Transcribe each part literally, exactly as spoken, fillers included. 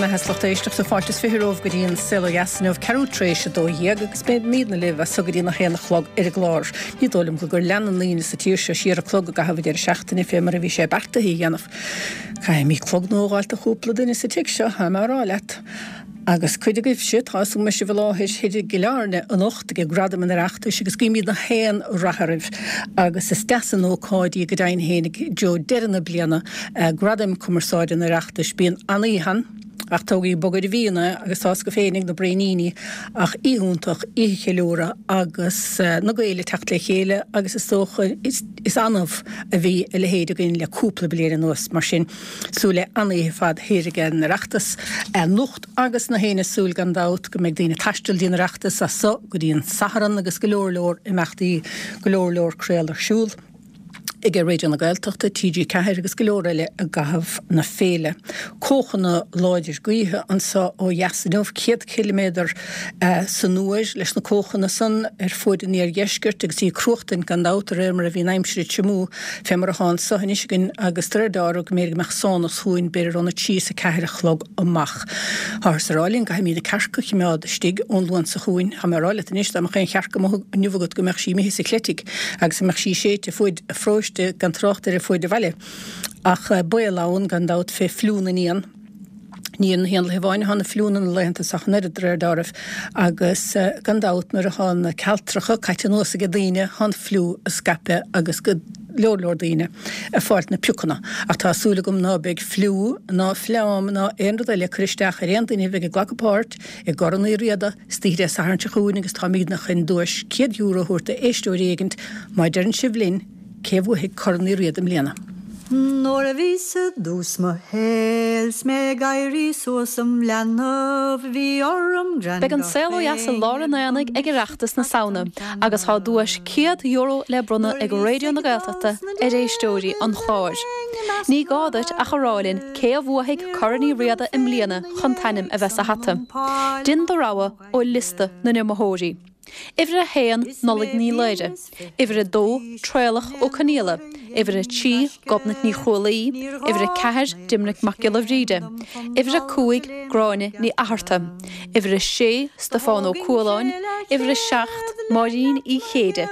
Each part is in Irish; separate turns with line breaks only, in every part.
mbeatha is lucht éisteachta fáilte is fiche romhaibh go dtí an Saol Ó Dheas inniu ceathrú tar éis a dó dhéag agus beimidne libh as so go dtí a haon a chlog ar an gclár. Ní dóigh liom go gur lean na daoine sa tír seo siar an clog i gcaitheamh an deireadh seachtaine fé mar a bhí sé beartaithe a dhéanamh. Caithfimid clog nua a fháilt do chúpla duine sa tigh seo, tá mé á rá leat. Agus cuid agaibhse tá go mbeidh sibh i láthair thoir i gCill Airne anocht ag Gradaim an Oireachtais agus guímid na haon rath oraibh agus is deas an ócáid í go deimhin féin i dtreo deireadh na bliana Gradaim Cumarsáide an Oireachtais bíonn an-oíche ach tógaí bog ar a bhíonn agus tá go féinig na braoiníní ach oíche iontach oíche cheiliúradh agus na Gaeil ag teacht le chéile agus is dócha is, is annamh a bhí a leithéid againn le cúpla bliain anuas mar sin súil le an-oíche fad thiar ag an Oireachtas anocht agus na héine súil gan dabht go mbeidh daoine ag taisteal dtí'n Oireachtas as so go dtí an Satharn agus go leor leor imeachtaí go leor leor craoladh ar siúl. ag Raidió na Gaeltachta, TG Ceathair agus go leor eile i gcaitheamh na féile. Cóchanna láidir gaoithe anseo ó dheas inniu céad ciliméadar san uair leis na cóchanna san ar fuaid an iardheiscirt agus í cruachtaint gan dabht de réir mar a bhí an aimsir ag tiomú fé mar atá anseo anois againn agus de réir dealraimh go mb'fhéidir go mbeadh sánas chugainn b'fhéidir óna trí is a ceathair a chlog amach. Táthar ag rá linn caithfimid na cearca a choimeád istigh ón Luan seo chugainn. Tá mé ag rá leat anois dá mbeadh aon chearc amuigh inniu agat go mbeadh sí imithe sa chleitigh agus go mbeadh sí séidte fuaid an pharóiste gan trácht ar fuaid an bhaile. Ach baol ann gan dabht fé fliú na n-éan. Ní ar na héanlaithe amháin atá na fliúnna na laethanta seo ach an oiread de réir dealraimh agus gan dabht nuair atá na cealtracha caite anuas ag daoine tá an fliú ag scaipeadh agus go leor leor daoine ag fáilt na piocanna. Ach tá súil agam ná beidh fliú ná fleám ná aon rud eile ag cur isteach ar aon duine a bheidh ag glacadh páirt i gCorn Uí Riada istoíche Dé Sathairn seo chugainn agus táimidne chun duais céad euro a thabhairt d'éisteoir éigint má deireann sibh linn cé bhuafaidh Corn Uí Riada i mbliana.
Nuair a bhíos i dtús mo shaoil 's mé ag éirí suas im leanbh bhí orm grean
Beidh an saol ó dheas i lár an aonaigh ag Oireachtas na Samhna agus tá duais céad euro le bronnadh ag Raidió na Gaeltachta ar éisteoirí an chláir. Ní gá duit ach a rá linn cé a bhuafaidh Corn Uí Riada i mbliana chun t'ainm a bheith sa hata. Déan do rogha ó liosta na n-iomaitheoirí. Uimhir a haon Nollaig Ní Laoire, Uimhir a dó Traolach Ó Conaola, Uimhir a trí Gobnait Ní Chrualaoi, Uimhir a ceathair Doimnic Mac Giolla Bhríde, Uimhir a cúig Gráinne Ní Fhatharta, Uimhir a sé Stiofán Ó Cualáin, Uimhir a seacht Máirín Uí Chéide,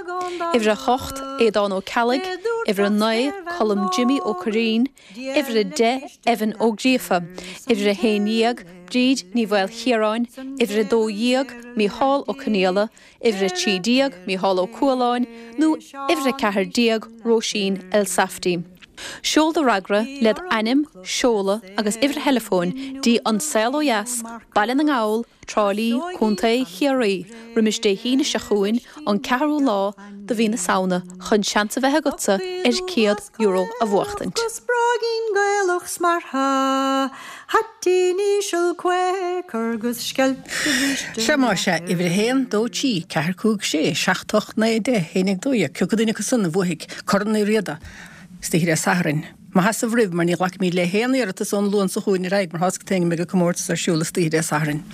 Uimhir a hocht Aodán Ó Ceallaigh, Uimhir a naoi Colm Jimmy Ó Curraoin, Uimhir a deich Evan Ó Gríofa, Uimhir a haon dhéag Bríd Ní Mhaoilchiaráin, Uimhir a dó dhéag Mícheál Ó Conaola, Uimhir a trí déag Mícheál Ó Cualáin nó uimhir a ceathair déag Róisín Elsafty. Seol do fhreagra led ainm, seoladh agus uimhir theileafóin dtí An Saol Ó Dheas, Baile na nGall, Trá Lí, Contae Chiarraí, roimis Dé hAoine seo chugainn an ceathrú lá de mhí na Samhna chun seans a bheith agatsa ar céad euro a bhuachtaint.
Agus bróigín Gaelach smeartha, haitín íseal Quaker 'gus sceilp de bhríste.
Sea más ea, uimhir a haon, dó, trí, ceathair, cúig, sé, seacht, ocht, naoi, deich, haon déag, dó dhéag, cé acu duine acu san a bhuafaidh Corn Uí Riada istoíche Dé Sathairn. Mo sheasamh roimh mar ní ghlacfaimid le haon iarratas ón Luan seo chugainn ar aghaidh mar tá go mbeidh an comórtas ar siúl istoíche Dé Sathairn.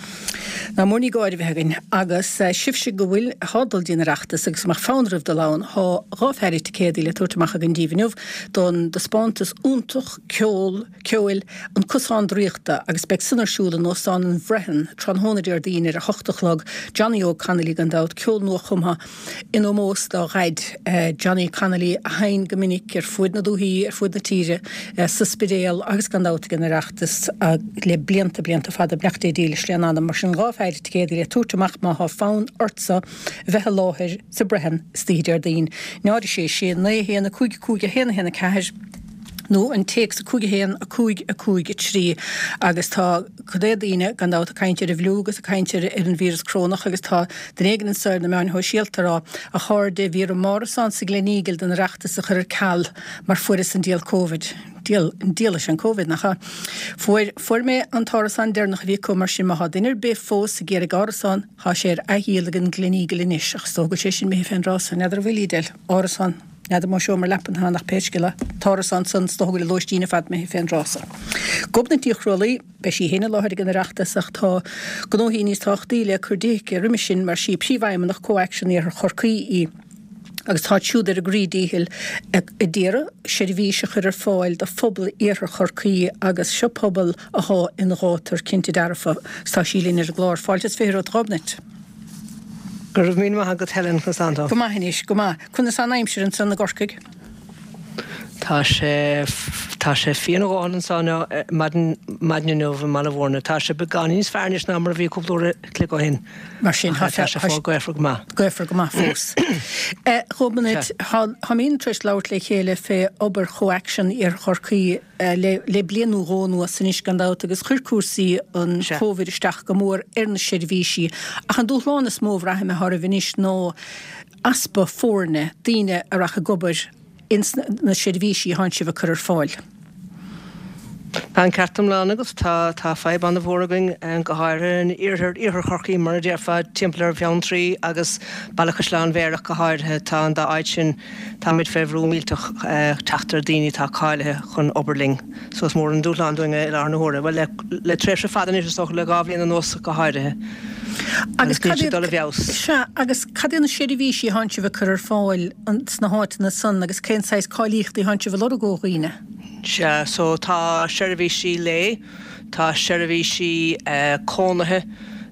Ná mór ní gáire a bheith againn agus sibhse go bhfuil atá ag dul dtí'n Oireachtas agus mbeadh fonn oraibh dul ann tá dhá pheidhre ticéadaí le tabhairt amach againn díbh inniu don taispeántas iontach ceol ceoil An Cosán Draíochta agus beidh san ar siúl in Óstán an Bhrehon tráthnóna Déardaoin ar a hocht a chlog Johnny Óg Connolly gan dabht ceol nua-chumtha in ómós dá dhaid Johnny Connolly a sheinn go minic ar fuaid na dúthaí ar fuaid na tíre sa Spidéal agus gan dabht ag an Oireachtas le blianta blianta fada beannacht Dé dílis lena anam mar sin dhá pheidhre ticéadaí le tabhairt amach má thá fonn ortsa a bheith i láthair sa Brehon istoíche Déardaoin náid a sé sé naoi a haon a cúig a cúig a haon a haon a ceathair nó an téacs a cúig a haon a cúig a cúig a trí agus tá cuid de daoine gan dabht ag caint ar an bhfliú agus ag caint ar ar an víreas corónach agus tá duine éigin anseo ar na meáin shóisialta ag rá a chairde bhí orm m'árasán sa Gleneagle don Oireachtas a chur ar ceal mar fuaireas an diabhal Covid. Diabhal diabhal is an Covid nach ea? Fuair fuair mé an t-árasán deireanach a bhí acu mar sin má thá duine ar bith fós ag iarraidh árasán thá sé ar athdhíol ag an Gleneagle anois ach is dócha go bhfuil sé sin imithe fén dtráth san. N'fheadar an bhfuil Edel. Árasán. N'fheadar mo seomra leapan atá ann ach pé scéal é, t-árasán san is dócha go bhfuil an lóistín ar fad imithe fén dtráth san. Gobnait Ní Chrualaoi, beidh sí féin i láthair ag an Oireachtas ach tá gnóthaí níos tábhachtaí le cur di aici roimis sin mar sí príomhfheidhmeannach ComhAction Iarthar Chorcaí í. Agus tá siúd ar a gcroí díchill ag iarraidh seirbhís a chur ar fáil do phobal Iarthar Chorcaí agus seo pobal athá ina ghátar cinnte dearfa. Tá sí linn ar an gclár. Fáilte is fiche romhat, a Ghobnait.
Go raibh míle maith agat Helen conas tánn tú.
Go maith anois, go maith. Conas tá an aimsir ansan i gCorcaigh?
Tá sé tá sé fiain a dhóthain anso maidin maidin inniu i mBaile Mhúirne. Tá sé beagán níos fearr anois ná mar a bhí cúpla uair a chloig ó shin.
Mar sin
tá sé fós gaofar go maith.
Gaofar go maith fós. Ghobnait, táimid tar éis labhairt le chéile fé obair ComhAction Iarthar Chorcaí le le bliain nó dhó anuas anois gan dabht agus chuir cúrsaí an Covid isteach go mór ar na seirbhísí. Ach an dúshlán is mó a bhraithim atá oraibh anois ná easpa foirne, daoine a rachaidh ag obair ins na seirbhísí a thánn sibh ag cur ar fáil.
Tá an ceart iomlán agat. Tá tá fadhb an-mhór againn, go háirithe in iarthar iarthar Chorcaí, mar a déarfá, timpeall ar Bheanntraí agus Baile Chaisleáin Bhéarra go háirithe. Tá an dá áit sin, táimid fé bhrú millteach teacht ar daoine atá cáilithe chun obair linn. So is mór an dúshlán dúinn é i láthair na huaire. Bhuel, le le tréimhse fada anois is dócha, le dhá bhliain anuas go háirithe.
Agus cad iad, dul i bhfeabhas. Sea, agus cad iad na seirbhísí a thánn sibh ag cur ar fáil sna háiteanna san agus cén saghas cáilíochtaí a thánn sibh a lorg ó dhaoine?
Sea, so tá seirbhísí lae, tá seirbhísí cónaithe,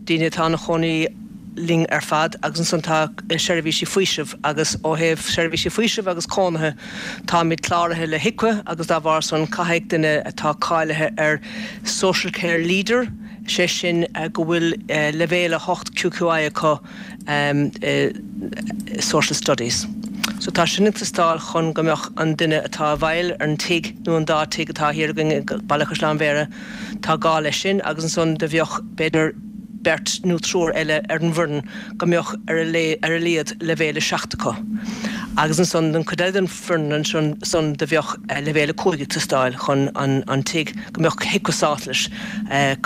daoine atá ina chónaí linn ar fad agus ansan tá seirbhísí faoisimh agus ó thaobh seirbhísí faoisimh agus cónaithe táimid cláraithe le HIQA agus dá bharr san caithfidh duine atá cáilithe ar Social Care Leader, sé sin go bhfuil leibhéal a hocht QQI acu i Social Studies. So tá sin ag teastáil chun go mbeadh an duine atá i bhfeighil ar an tigh nó an dá tigh atá thiar againn i Baile Chaisleáin Bhéarra, tá gá leis sin agus ansan do bheadh b'fhéidir beirt nó triúr eile ar an bhfoireann go mbeadh ar a ar a laghad leibhéal a seacht acu. Agus ansan don chuid eile den foireann ansan san do bheadh leibhéal a cúig ag teastáil chun an an tigh go mbeadh HIQA sásta leis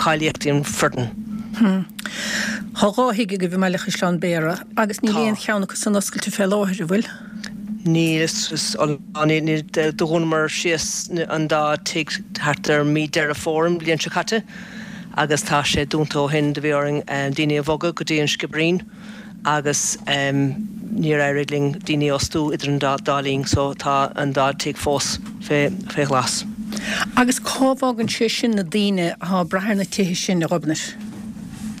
cáilíochtaí an foireann.
Tá dhá thigh agaibh i mBaile Chaisleáin Bhéarra agus níl aon cheann acu san oscailte fé láthair, an bhfuil?
Níl, is níl, do dhúnamar síos an dá tigh thart ar mí Deireadh Fómhair an bhliain seo caite agus tá sé dúnta ó shin. Do bhí orainn daoine a bhogadh go dtí an Sciobairín agus níor éirigh linn daoine a fhostú idir an dá linn so tá an dá tigh fós fé ghlas.
Agus cá bhfágann sé sin na daoine atá ag brath ar na tithe sin, a Ghobnait?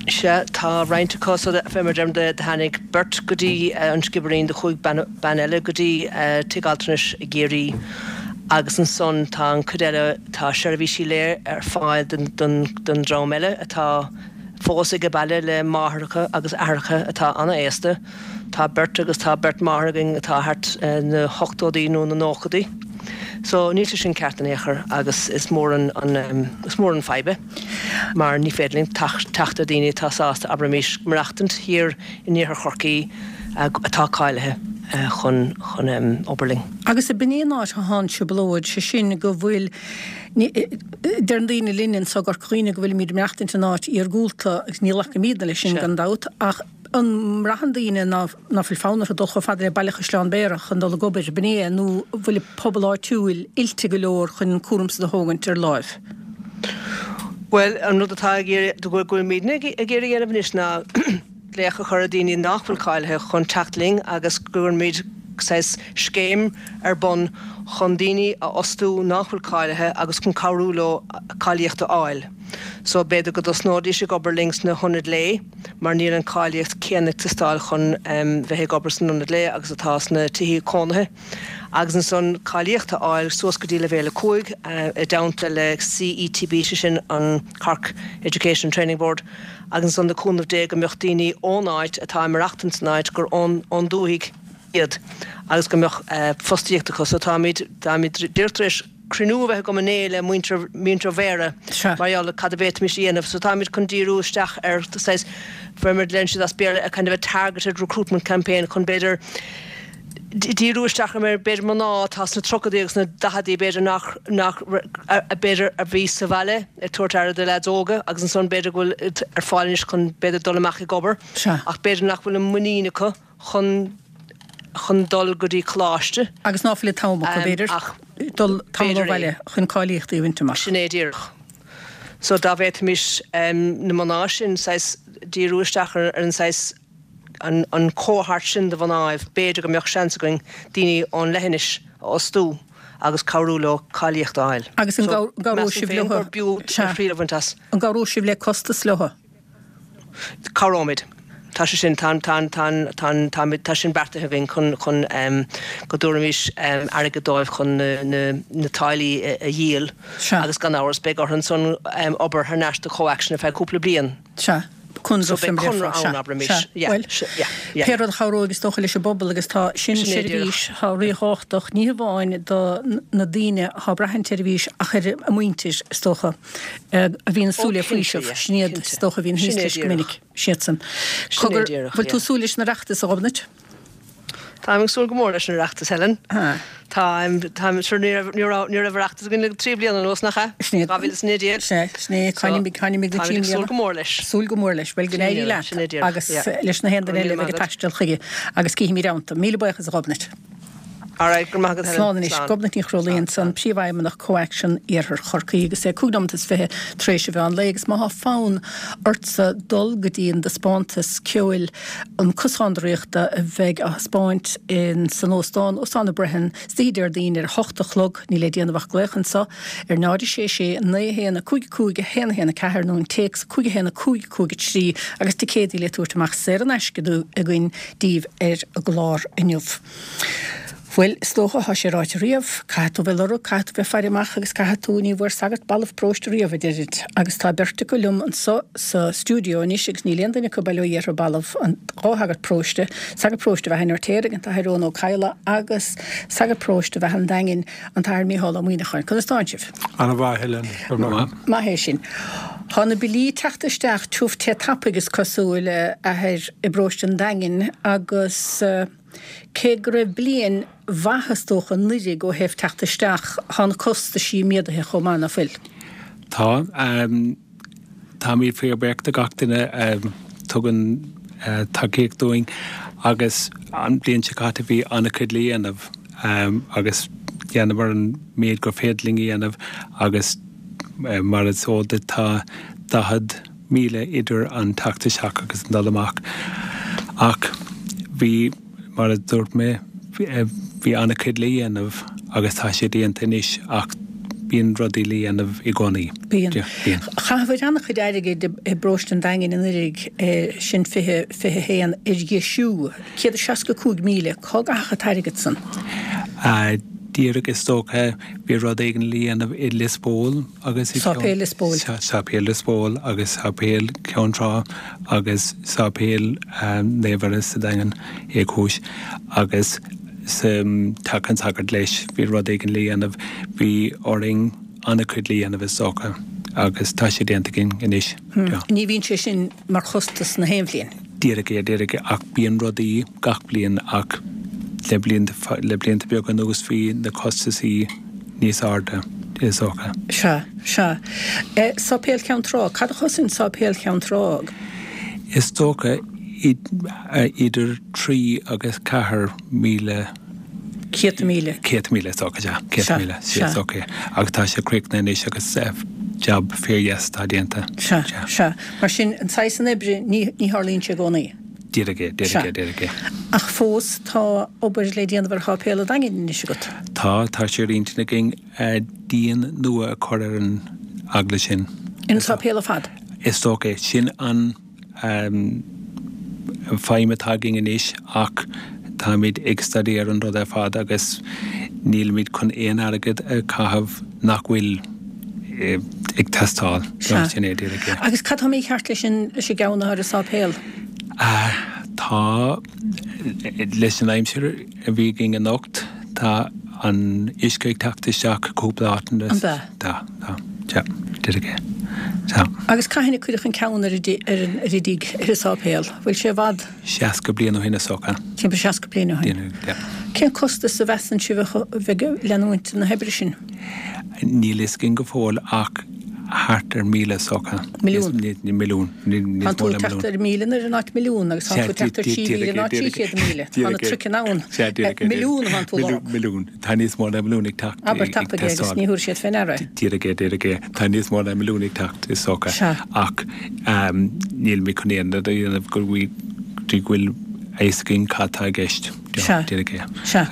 Sea, tá roinnt acu so fé mar deirim do tháinig beirt go dtí an Sciobairín, do chuaigh bean, bean eile go dtí tigh altranais i gCiarraí agus ansan tá an cuid eile, tá seirbhísí lae ar fáil don, don, don dream eile atá fós age baile le máithreacha agus aithreacha atá ana-aosta. Tá beirt agus tá beirt máthair againn atá thart na hochtóidí nó na nóchaidí. So níl sé sin ceart in aon chor agus is mór an is mór an fadhb é mar ní féidir linn teacht ar daoine atá sásta abraimis maireachtaint thiar in iarthar Chorcaí atá cáilithe chun chun obair linn.
Agus ab in é an áit atá an trioblóid, sé sin go bhfuil, deireann daoine linn anso i gCorca Dhuibhne go bhfuilimid ag maireachtaint in áit iargúlta agus ní ghlacaimidne leis sin gan dabht ach an mbraitheann daoine ná fuil fonn orthu dul chomh fada le Baile Chaisleáin Bhéarra chun dul ag obair, ab in é nó an bhfuil an pobal áitiúil oilte go leor chun an cúram san a thógaint ar láimh?
Bhuel, an rud atá ag iarraidh, go bhfuilimidne ag iarraidh a dhéanamh anois ná glaoch a chur ar dhaoine nach bhfuil cáilithe chun teacht linn agus go gcuirfimid saghas scéim ar bun chun daoine a fhostú nach bhfuil cáilithe agus chun cabhrú leo cáilíocht a fháil. So b'fhéidir go dtosnóidís ag obair linn sna hionaid lae mar níl an cáilíocht céanna ag teastáil chun bheith ag obair san ionad lae agus atá sna tithí cónaithe agus ansan cáilíocht a fháil suas go dtí leibhéal a cúig i dteannta le CETB, sé sin an Cork Education Training Board agus ansan le cúnamh Dé go mbeadh daoine ón áit atá ag maireachtaint san áit gur ón ón dúthaigh iad agus go mbeadh fostaíocht acu. So táimid táimid díreach tar éis cruinniú a bheith agam inné le muintir muintir Bhéarra mar gheall ar cad a bhféadfaimis a dhéanamh. So táimid chun díriú isteach ar saghas, fé mar a deireann siad as Béarla, a kind of a targeted recruitment campaign chun b'fhéidir díriú isteach ar b'fhéidir mná atá sna tríochaidí agus sna daicheadaí b'fhéidir nach nach b'fhéidir a bhí sa bhaile ag tabhairt aire do leaids óga agus ansan b'fhéidir go bhfuil ar fáil anois chun b'fhéidir dul amach ag obair ach b'fhéidir nach bhfuil an muinín acu chun chun dul go dtí coláiste.
Agus ná fuil an t-am acu, b'fhéidir, dul tamall ó bhaile chun cáilíochtaí a bhaint amach.
Sin é díreach. So dá bhféadfaimis na mná sin saghas díriú isteach ar an saghas an, an cohort sin de mhnáibh, b'fhéidir go mbeadh seans againn daoine ón leithinis a fhostú agus cabhrú leo cáilíocht a fháil.
Agus an gcabhróidh sibh leo?
B'fhiú triail a bhaint as.
An gcabhróidh sibh le costas leo?
Cabhróimid. Tá sé sin, tá, tá, tá, tá, tá, tá sin beartaithe againn chun, chun um, go dtabharfaimis um, airgead dóibh chun na, na, na táillí a, a dhíol.
Sea.
Agus gan amhras beidh orthu ansan um, obair thar n-ais do ComhAction ar feadh cúpla bliain.
Sea. Conradh
So beidh conradh ann, abraimis. Yeah,
Bhuel,
yeah, yeah.
pé rud a chabhróidh is dócha leis an bpobal agus tá sin
Sin é
seirbhís atá ríthábhachtach, ní hamháin do na daoine atá ag brath an tseirbhís ach ar a muintir is dócha a bhíonn ag súil le faoiseamh, sin iad is dócha a bhíonn thíos leis go minic, siadsan.
Sin é díreach,
Bhfuil tú ag súil leis an Oireachtas, a Ghobnait?
Táim ag súil go mór leis an Oireachtas, Helen. Táim, táim, sure ní raibh, ní raibh, ní raibh Oireachtas againn le trí bliana anuas, nach ea?
Sin é.
Dhá mhíle is a naoi déag.
Sin é, sin é, caithfimid, caithfimid go
Táimid
trí
ag súil
bliana.
go mór leis.
Súil go mór leis. Bhuel, go
Sin é
n-éirí
díreach,
leat
sin é díreach,
agus
yeah.
leis na haon
Go
duine
raibh
eile
míle
a bheidh ag
maith agat.
taisteal chuige agus cífimid iontu. Míle buíochas, a Ghobnait.
All right, go raibh maith agat, Helen.
Slán anois.
Slán.
Gobnait Ní Chrólaí ansan, Príomhfheidhmeannach ComhAction Iarthar Chorcaí agus é cúig nóiméad is fiche tar éis an mheán lae agus má thá fonn ortsa dul go dtí an dtaispeántas ceoil an Cosán Draíochta a bheidh á thaispeáint in san óstán, Óstán na Brehon, istoíche Déardaoin ar a hocht a chlog, níl le déanamh ach glaoch anso ar náid a sé sé naoi a haon a cúig a cúig a haon a haon a ceathair nó an téacs cúig a haon a cúig a cúig a trí agus ticéadaí le tabhairt amach saor in aisce againn daoibh ar an gclár inniu. Bhuel, is dócha thá sé ráite riamh, caithfidh tú bheith ag lorg, caithfidh tú bheith ag faire amach agus caithfidh tú, ní bhfuair sagart balbh paróiste riamh, a deirid. Agus tá beirt acu liom anso sa stiúideo anois agus níl aon duine acu bail ó Dhia orthu balbh, an dhá shagart paróiste, sagart paróiste Bheatha an Fheirtéaraigh, an tAthair Eoin Ó Cadhla agus sagart paróiste Bheatha an Daingin, an tAthair Mícheál Ó Muíneacháin. Conas tánn sibh?
Ana-mhaith, Helen. Go raibh maith.
Maith é sin. Tá na billí ag teacht isteach tiubh te tapaidh is cosúil, a Athair, i bparóiste an Daingin agus cé go raibh bliain mhaith is dócha anuraidh ó thaobh teacht isteach, tá na costaisí méadaithe chomh maith, ná fuil?
Tá. Táimid fíorbhuíoch de gach duine a tugann tacaíocht dúinn agus an bhliain seo caite bhí an-chuid le dhéanamh agus dhéanamar an méid gur féidir linn a dhéanamh agus mar is eol duit tá daichead míle idir an teacht isteach agus an dul amach ach bhí Mar a dúirt mé, bhí an-chuid le dhéanamh agus tá sé déanta anois ach bíonn rudaí le dhéanamh i gcónaí.
Bíonn. Bíonn. Chaitheabhair an-chuid airgid i bparóiste an Daingin anuraidh, sin fiche, fiche haon, ar dheisiú. Céad is seasca cúig míle. Cá gcaitheadh an t-airgead san?
Díreach is dócha, bhí rud éigin le dhéanamh i Lios Póil agus i
Sáipéal Lios Póil.
Sáipéal Lios Póil agus Sáipéal Cheann Trá agus Sáipéal Naomh Mhuire sa Daingean Uí Chúis agus sa Teach an tSagairt leis bhí rud éigin le dhéanamh. Bhí orainn an-chuid le dhéanamh is dócha agus tá sé déanta againn anois.
Ní bhíonn sé sin mar chostas na haon bhliain.
Díreach é, díreach é, ach bíonn rudaí gach bliain ach le blianta, le blianta beaga anuas bhí na costasaí níos airde, is dócha.
Sea, sea. Sáipéal Cheann Trá, cad a chosain Sáipéal Cheann Trá?
Is dócha idir trí agus ceathair míle.
Céadta míle.
Céadta míle, is dócha, sea. Céadta míle, sea, is dócha é. Agus tá sé críochnaithe anois agus jab fíordheas atá déanta.
Sea, sea. Mar sin, an saghas san oibre, ní, ní tharlaíonn sé i gcónaí.
Díreach é, díreach é, díreach é.
Ach fós, tá obair le déanamh ar Sháipéal an Daingin anois agat.
Tá, tá sé ar intinn againn díon nua a chur ar an eaglais sin.
Ar an sáipéal ar fad?
Is dócha é. Sin an. feidhm atá againn anois ach táimid ag staidéar an rud ar fad agus nílimid chun aon airgead a chaitheamh nach bhfuil ag teastáil.
Sea.
Sin é díreach é.
Agus cad tá mícheart leis an leis an gceann atá ar an sáipéal?
Tá, leis an aimsir a bhí againn anocht, tá an uisce ag teacht isteach cúpla áiteanna.
An ea?
Tá, tá. Sea, díreach é. Sea.
Agus cathain a cuireadh an ceann ar an ar an ar an dtigh, ar an sáipéal? Bhfuil sé i bhfad?
Seasca bliain ó shin is dócha.
Timpeall seasca bliain ó shin.
Yeah.
Cén costas a mheasann sibh a bheidh ag leanúint na hoibre sin?
Níl fhios againn go fóill ach thart ar míle is dócha.
Milliún?
Milliún.
Tá tú ag teacht ar míle in áit milliún agus tá tú ag teacht ar trí mhíle in áit trí chéad míle. Tá na truiceanna ann. Milliún atá tú ag lorg.
Milliún. Tá níos mó ná milliún ag teacht.
Abair tapaidh é agus ní thabharfaidh siad fé ndeara é.
Díreach é, díreach é. Tá níos mó ná milliún ag teacht is dócha. Ach nílimid chun aon rud a dhéanamh go dtí go bhfuil a fhios againn cad tá i gceist.
Sea. Sea.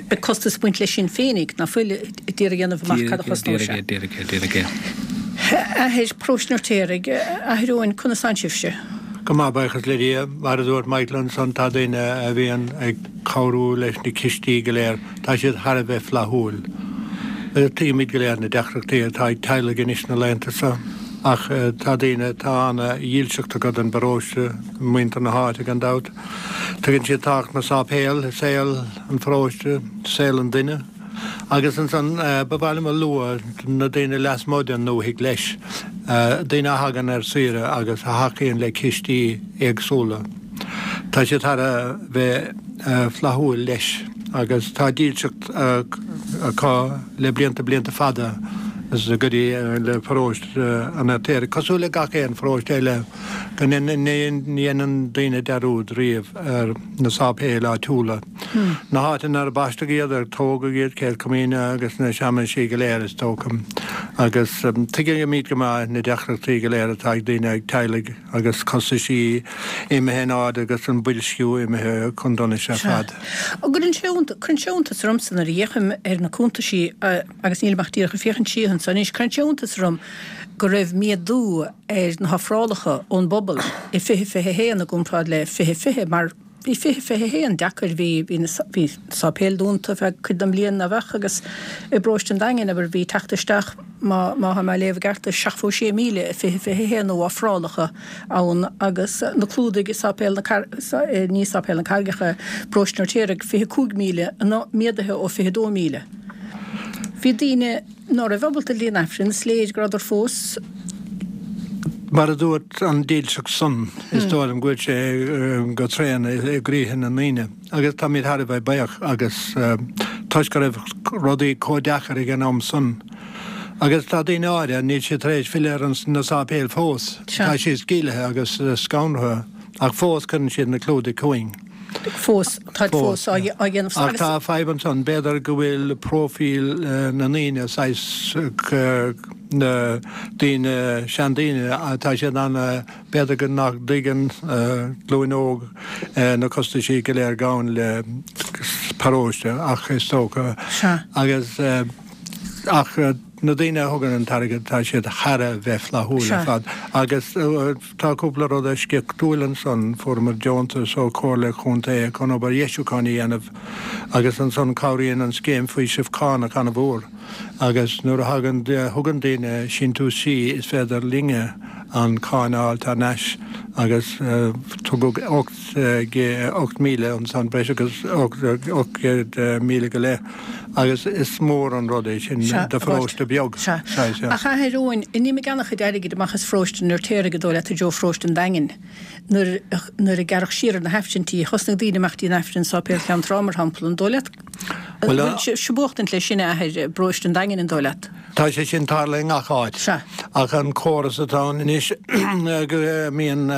Beidh costas ag baint leis sin féinig, ná fuil, d'iarraidh a dhéanamh amach cad a chosnóidh sé.
Díreach é, díreach é, díreach é.
Athair, Paróiste an Fheirtéaraigh, Athair Eoin, conas tánn sibhse?
Go maith, buíochas le Dia. Mar a dúirt Michael ansan, tá daoine a bhíonn ag cabhrú leis na cistí go léir, tá siad thar a bheith flaithiúil. Tuigimid go léir na deacrachtaí atá ag teaghlaigh anois na laethanta seo, ach tá daoine, tá ana-dhílseacht acu don bparóiste, muintir na háite gan dabht. Tuigeann siad tábhacht na sáipéal i saol an pharóiste, saol an duine. Agus ansan ba mhaith liom a lua na daoine lasmuigh den ndúthaigh leis, daoine a thagann ar saoire agus a thacaíonn le cistí éagsúla. Tá siad thar a bheith flaithiúil leis agus tá dílseacht acu le blianta, blianta fada go dtí le paróiste an Fheirtéaraigh, cosúil le gach aon pharóiste eile, go ndéanann daoine dearúd riamh ar na sáipéil áitiúla, na háiteanna ar baisteadh iad, ar tógadh iad, Céad Chomaoine agus na searmanaisí go léir is dócha. Agus tuigimid go maith na deacrachtaí go léir atá ag daoine, ag teaghlaigh agus costaisí imithe in airde agus an boilsciú imithe chun donais ar fad.
Cuireann sé cuireann sé iontas ormsa nuair a fhéachaim ar na cuntaisí agus nílim ach díreach ag féachaint siar anso anois, cuireann sé iontas orm go raibh méadú ar na hofrálacha ón bpobal i fiche fiche a haon i gcomparáid le fiche fiche mar bhí fiche fiche a haon deacair, bhí bhí na bhí sáipéil dúnta feadh cuid den bhliain nach bheadh agus i bparóiste an Daingin abair bhí teacht isteach má má tá mé ag léamh i gceart seachtó sé míle i fiche fiche a haon ó ofrálacha ann agus na clúdaigh i sáipéal na Car ní sáipéal na Carraigeacha paróiste an Fheirtéaraigh fiche cúig míle méadaithe ó fiche dó míle. Bhí daoine ná raibh ábalta dul an Aifreann, is léir go rabhadar fós.
Mar a dúirt an dílseacht san, is dóigh liom go bhfuil sé go tréan i gcroíthe na ndaoine agus táimid thar a bheith buíoch agus toisc go raibh rudaí chomh deacair ag an am san. Agus tá daoine áirithe, níl siad tar éis filleadh ar na sáipéil fós, tá siad sceilgthe agus scanraithe ach fós cuireann siad na clúdaigh chugainn.
Fós, táid fós á dhéanamh.
Ach tá fadhb ansan, b'fhéidir go bhfuil próifíl na ndaoine saghas na daoine, seandaoine, tá siad ana, b'fhéidir go nach dtuigeann glúin óg na costaisí go léir gabhann le paróiste ach is dócha agus ach na daoine a thugann an t-airgead tá siad thar a bheith flaithiúil ar fad agus tá cúpla rud eisceachtúil ansan, fuaireamar deontas ó Chomhairle Chontae chun obair dheisiúcháin a dhéanamh agus ansan cabhraíonn an scéim faoisimh cánach an-mhór agus nuair a thagann, thugann daoine síntiúisí is féidir linne an cáin a fháil thar n-ais agus tugadh ocht míle ansan, breis agus ocht gcéad míle go leith. Agus is mór an rud é sin do pharóiste beag.
Sea. Ach a Athair Eoin, d'imigh an-chuid airgid amach as pharóiste an Fheirtéaraigh an dóigh leat i dtreo pharóiste an Daingin. Nuair nuair a gearradh siar ar na hAifrinntí, thosnaigh daoine imeacht dtí an Aifreann i Sáipéal Cheann Trá, mar shampla. An dóigh leat? Bhuel, An bhfuil sibh buachtaint leis sin, a Athair, i bparóiste an Daingin, an dóigh leat?
Tá sé sin tarlaithe i ngach áit.
Sea.
Ach an córas atá ann anois go mbíonn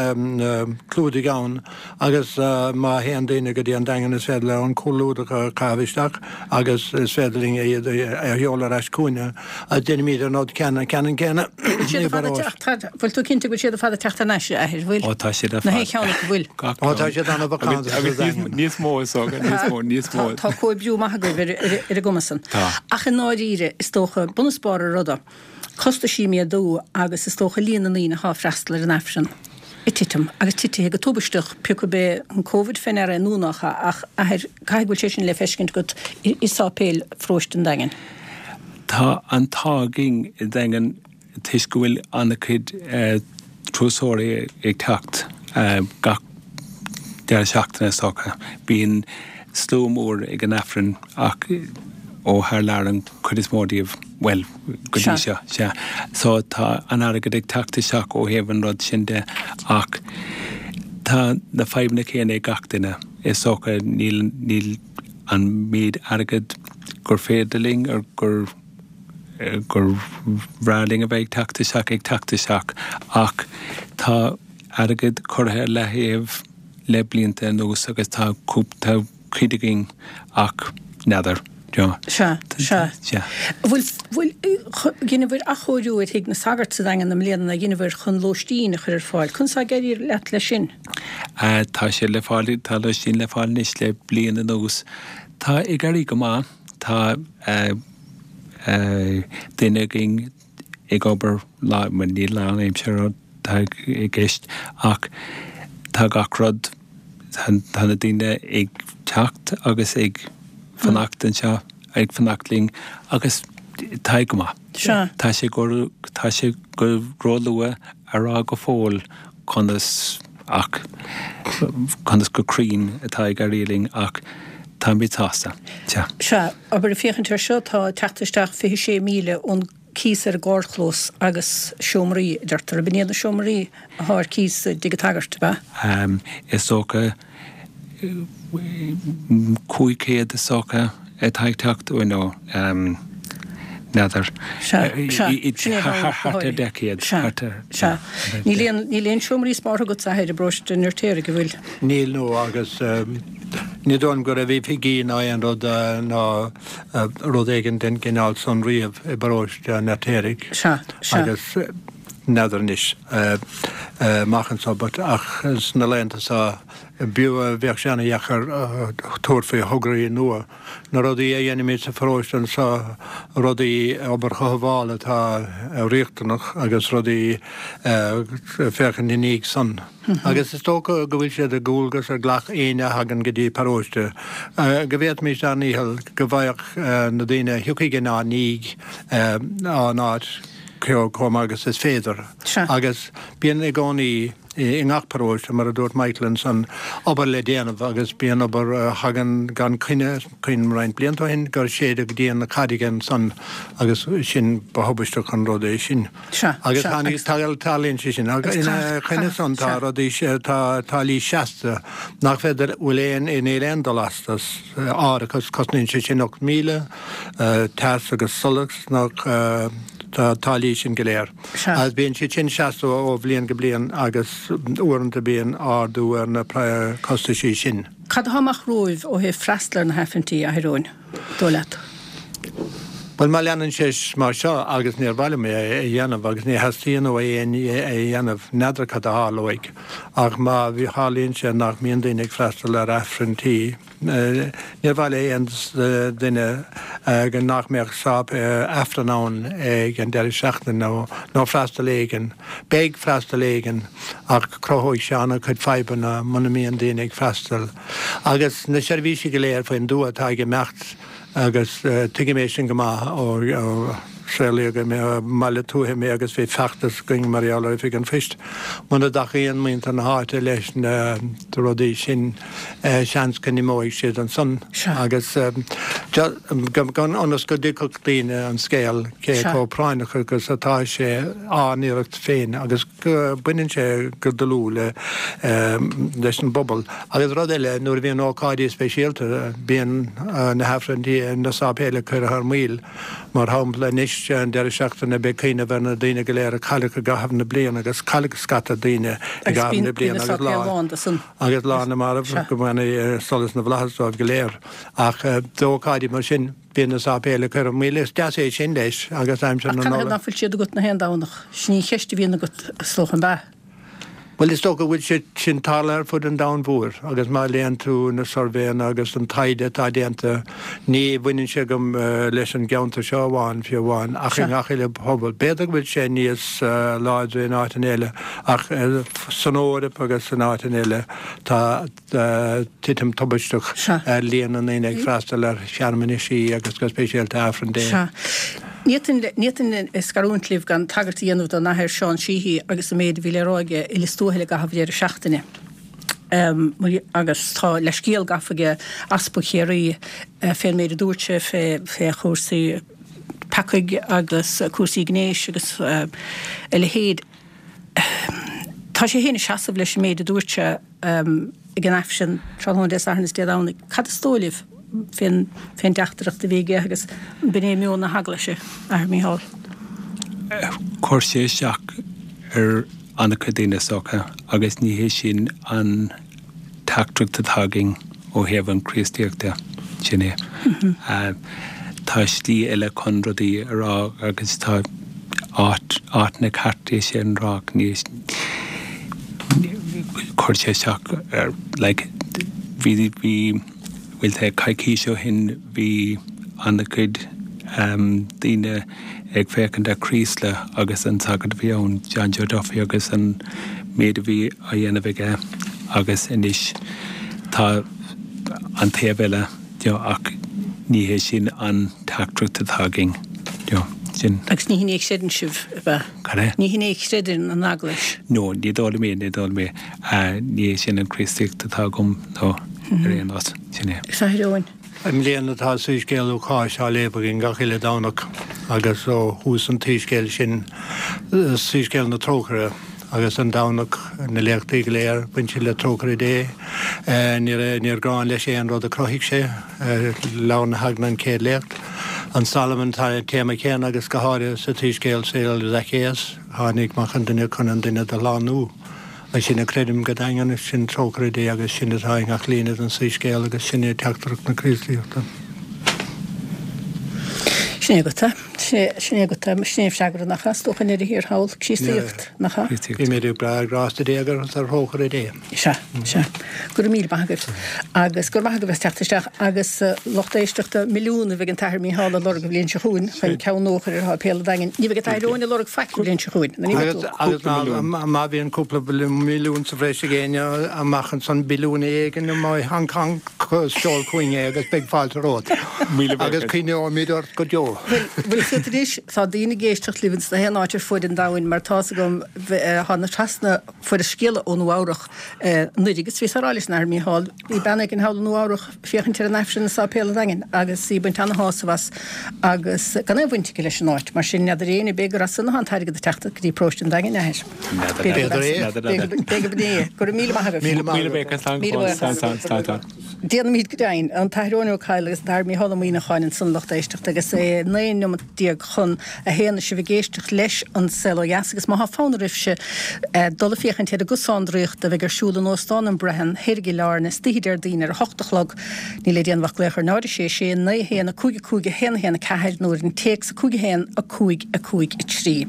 clúdaigh ann agus má théann daoine go dtí an Daingean is féidir leo an clúdach a chaitheamh isteach agus is féidir linn iad a sheoladh ar ais chugainne. Déanaimid an rud ceannann céanna
i bparóiste. Bhfuil tú cinnte go bhfuil siad ar fad ag teacht thar n-ais, a Athair, bhfuil?
Ó tá siad ar fad.
Na haon cheann acu, bhfuil?
Ó tá siad an-mhacánta sa Daingean.
Níos mó is dócha, níos mó, níos mó.
Tá comhoibriú maith agaibh ar an gcuma san.
Tá.
Ach i ndáiríre, is dócha, bun is barr an ruda, costaisí ag méadú agus is dócha líon na ndaoine atá ag freastal ar an Aifreann. ag titim, agus titithe go tubaisteach, pé acu b'é an Covid fé ndeara é nó nach ea, ach athair, caithfidh go bhfuil sé sin le feiscint agat i sáipéal pharóiste an Daingin.
Tá an t-ádh againn i Daingean toisc go bhfuil an-chuid turasóirí ag teacht gach deireadh seachtaine is dócha. Bíonn slua mór ag an Aifreann ach ó thar lear an chuid is mó díobh, bhuel, go dtí seo, sea. So tá an airgead ag teacht isteach ó thaobh an rud sin de ach tá na fadhbanna céanna ag gach duine. Is dócha níl, níl an méid airgead gur féidir linn or gur, gur bhreá linn a bheith ag teacht isteach ag teacht isteach ach tá airgead curtha ar leathaobh le blianta anuas agus tá, tá cuid againn ach n'fheadar.
Sea, sea.
Sea.
Bhfuil, bhfuil, dheineabhair athchóiriú ar Thigh na Sagart sa Daingean i mbliana, dheineabhair chun lóistín a chur ar fáil. Conas tá ag éirí leat leis sin?
Tá sé le fáil, tá lóistín le fáil anois le bliain anuas. Tá ag éirí go maith. Tá duine againn ag obair lá, bhuel ní lánaimseartha atá i gceist ach tá gach rud, tá na daoine ag teacht agus ag fanacht anseo, ag fanacht linn agus tá go maith.
Sea.
Tá sé go, tá sé go róluath a rá go fóill conas ach, conas go cruinn atá ag éirí linn ach táimid sásta. Sea.
Sea, abair ag féachaint air seo tá teacht isteach fiche sé míle ón cíos ar an gcarrchlós agus seomraí, a deirtear. Ab in iad na seomraí atá ar cíos i dTigh an tSagairt, ab
ea? Is dócha cúig chéad is dócha atá ag teacht uaidh nó n'fheadar.
Sea, sea. Sin é
Thart ar deich gcéad.
Sea, sea. Níl aon, níl aon seomraí spártha agat, a Athair, i bparóiste an Fheirtéaraigh, an bhfuil?
Níl, no, agus ní dóigh liom go raibh oifigí ná aon rud ná rud éigin den gcineál san riamh i bparóiste an Fheirtéaraigh.
Sea, sea.
Agus n'fheadar anois amach anso but ach sna laethanta seo b'fhiú, bheadh sé ana-dheacair tabhairt faoi thograí nua. Na rudaí a dhéanaimid sa pharóiste anseo, rudaí, obair chothabhála atá riachtanach agus rudaí féachaint ina ndiaidh san. Agus is dócha go bhfuil sé de dhualgas ar gach éinne a thagann go dtí paróiste go bhféadfaimis ár ndícheall go bhfaigheadh na daoine a thiocfaidh inár ndiaidh ár n-áit chomh maith agus is féidir. Agus bíonn i gcónaí i ngach paróiste, mar a dúirt Michael ansan, obair le déanamh agus bíonn obair a thagann gan coinne, cuimhním roinnt blianta ó shin gur séideadh díon na carraige ansan agus sin, ba thubaisteach an rud é sin. Agus tarlaíonn sé sin. Agus ina choinne san tá rudaí, tá táillí seasta nach féidir, bhfuil aon, níl aon dul astu, árachas, cosnaíonn sé sin ocht míle, teas agus solas nach, Tá táillí sin go léir. Agus bíonn siad sin seasta ó bhliain go bliain agus uaireanta bíonn ardú ar na costaisí sin.
Cad atá amach romhaibh ó thaobh freastal ar na hAifrinntí, a Athair Eoin, dóigh leat?
Bhuel, má leanann sé mar seo, agus níor mhaith liom é a dhéanamh agus ní theastaíonn ó éinne é a dhéanamh, n'fheadar cad a tharlóidh, ach má tharlaíonn sé nach mbíonn daoine ag freastal ar Aifrinntí, Níor mhaith le aon duine go nach mbeadh Aifreann ann ag an deireadh seachtaine nó freastal éigin. Beidh freastal éigin ach cruthóidh sé an-chuid fadhbanna muna mbíonn daoine ag freastal. Agus na seirbhísí go léir faoin dtuath atá ag imeacht agus tuigim é sin go maith ó saolaíodh i mbaile tuaithe mé agus bhí feachtas againn mar gheall ar Oifig an Phoist. Muna dtacaíonn muintir na háite leis na rudaí sin, seans go n-imeoidh siad ansan agus ionas go dtuigfeadh daoine an scéal cé chomh práinneach agus atá sé ár n-iarracht féin agus go baineann sé go dlúth le leis an bpobal. Agus rud eile, nuair a bhíonn ócáidí speisialta, bíonn na hAifrinntí, na sáipéil curtha ar maoil. Mar shampla, anois an deireadh seachtaine beidh cuimhneamh ar na daoine go léir a cailleadh i gcaitheamh na bliana agus cailleadh scata daoine i gcaitheamh na bliana agus lá agus Lá na Marbh go mbeannaí solas na bhFlaitheas dóibh go léir. Ach d'ócáidí mar sin bíonn na sáipéil curtha ar maoil. Is deas é sin leis agus aimsir na
Ach
Nollag.
nach bhfuil siad agat na haon Domhnach? Sin í an cheist a bhíonn agat is dócha, an ea?
Bhuel, is dócha go bhfuil sé sin tarlaithe ar fud an domhain mhóir agus má léann tú na suirbhéanna agus an taighde atá déanta, ní bhaineann sé go leis an gceantar seo amháin, fiú amháin, ach i ngach uile phobal. B'fhéidir go bhfuil sé níos láidre in áiteanna eile ach san Eoraip agus in áiteanna eile tá titim tubaisteach ar líon na ndaoine ag freastal ar shearmanaisí agus go speisialta Aifreann Dé.
Ní fhéadfainn scarúint libh gan tagairt a dhéanamh don Athair Seán Sheehy agus an méid a bhí le rá aige i Lios Tuathail i gcaitheamh dheireadh seachtaine. Agus tá leithscéal gafa aige Easpag Chiarraí fén méid a dúirt sé fé chúrsaí peacaigh agus cúrsaí gnéis agus a leithéid. Tá sé féin ag seasamh leis an méid a dúirt sé ag an Aifreann tráthnóna Dé Sathairn is Dé Domhnaigh. Cad is dóigh libh fén dteachtaireacht a bhí aige agus b'in é meon na hEaglaise, Athair Mícheál?
Chuir sé isteach ar an-chuid daoine is dócha agus ní hé sin an teachtaireacht atá againn ó thaobh an Chríostaíocht de. Sin é. Tá slí eile chun rudaí a rá agus tá áit áiteanna ceart é sin a rá ní chuir sé isteach ar like bhí bhí bhfuil sé coicís ó shin bhí an-chuid daoine ag féachaint ar Chraoslaigh agus an sagart a bhí ann, John Joe Duffy agus an méid a bhí á dhéanamh aige agus anois tá an taobh eile you know ach ní hé sin an teachtaireacht atá againn you know sin.
Agus ní hin é a chreideann sibh, ab ea?
Cad é?
Ní hin é a chreideann an Eaglais.
No, ní dóigh liom é, ní dóigh liom é. Ní hé sin an Chríostaíocht atá agam, no, ar aon nós. Sin é.
Agus a Athair Eoin?
I mbliana tá Soiscéal Lúcáis á léamh againn gach uile Domhnach agus ó thús an tsoiscéil sin, Soiscéal na Trócaire, agus an Domhnach na léachtaí go léir, bhain siad le trócaire Dé. Níor ghráin leis aon rud a chruthaigh sé. Leabhar na hEagna an chéad léacht. An Solomon tá an téama céanna agus go háirithe sa tSoiscéal saol Zacchaeus, tháinig Mac an Duine chun an duine do shlánú. Agus sin a creidim go daingean, sin trócaire Dé agus sin atá i ngach líne den Soiscéal agus sin é teachtaireacht na Críostaíochta.
Sin é agat é. Sin é agat é. Sin é an freagra, nach ea? Is dócha i ndeireadh thiar thall, Críostaíocht, nach ea?
Bímid ag brath ar ghrásta Dé agus ar thrócaire Dé.
Sea, sea. Go raibh míle maith agaibh. Agus go raibh maith agaibh as teacht isteach. Agus lucht éisteachta, milliún a bheidh an tAthair Mícheál ag lorg an bhliain seo chugainn chun ceann nua a chur ar sháipéal an Daingin. Ní bheidh an tAthair Eoin ag lorg faic an bhliain seo chugainn. Nó ní bheidh tú?
Agus má bhíonn cúpla milliún sa bhreis ag éinne amach ansan, billiún éigin i Hong Kong, seol chugainn é agus beidh fáilte romhat. Agus cuimhneoimid ort go deo.
Bhuel, bhfuil fhios agat anois, tá daoine ag éisteacht libh ins na haon áit ar fuaid an domhain mar tá's agam, thána trasna, fuaireas scéala ó Nua Eabhrach anuraidh agus bhíos á rá leis an Athair Mícheál, bhí bean éigin thall i Nua Eabhrach féachaint ar an Aifreann i Sáipéal an Daingin agus í ag baint ana-shásamh as agus gan aon bhaint aici leis an áit, mar sin n'fheadar éinne ar bith gur as san atá an t-airgead ag teacht go dtí paróiste an Daingin, a Athair.
B'fhéidir é.
B'fhéidir gurb é. Go raibh míle maith agaibh.
Míle
maith agat.
Míle buíochas. Déanaimid go deimhin. An tAthair Eoin Ó Cadhla agus an tAthair Mícheál Ó Muíneacháin ansan lucht éisteachta agus é naoi neomat déag chun a haon is sibh ag éisteacht leis An Saol Ó Dheas agus má thá fonn oraibhse dul ag féachaint ar an gcosán draíochta a bheidh ar siúl in Óstán an Brehon thoir i gCill Airne istoíche Déardaoin ar a hocht a chlog níl le déanamh ach glaoch ar náid a sé sé naoi a haon a cúig a cúig a haon a haon a ceathair nó ar an téacs a cúig a haon a cúig a cúig a trí.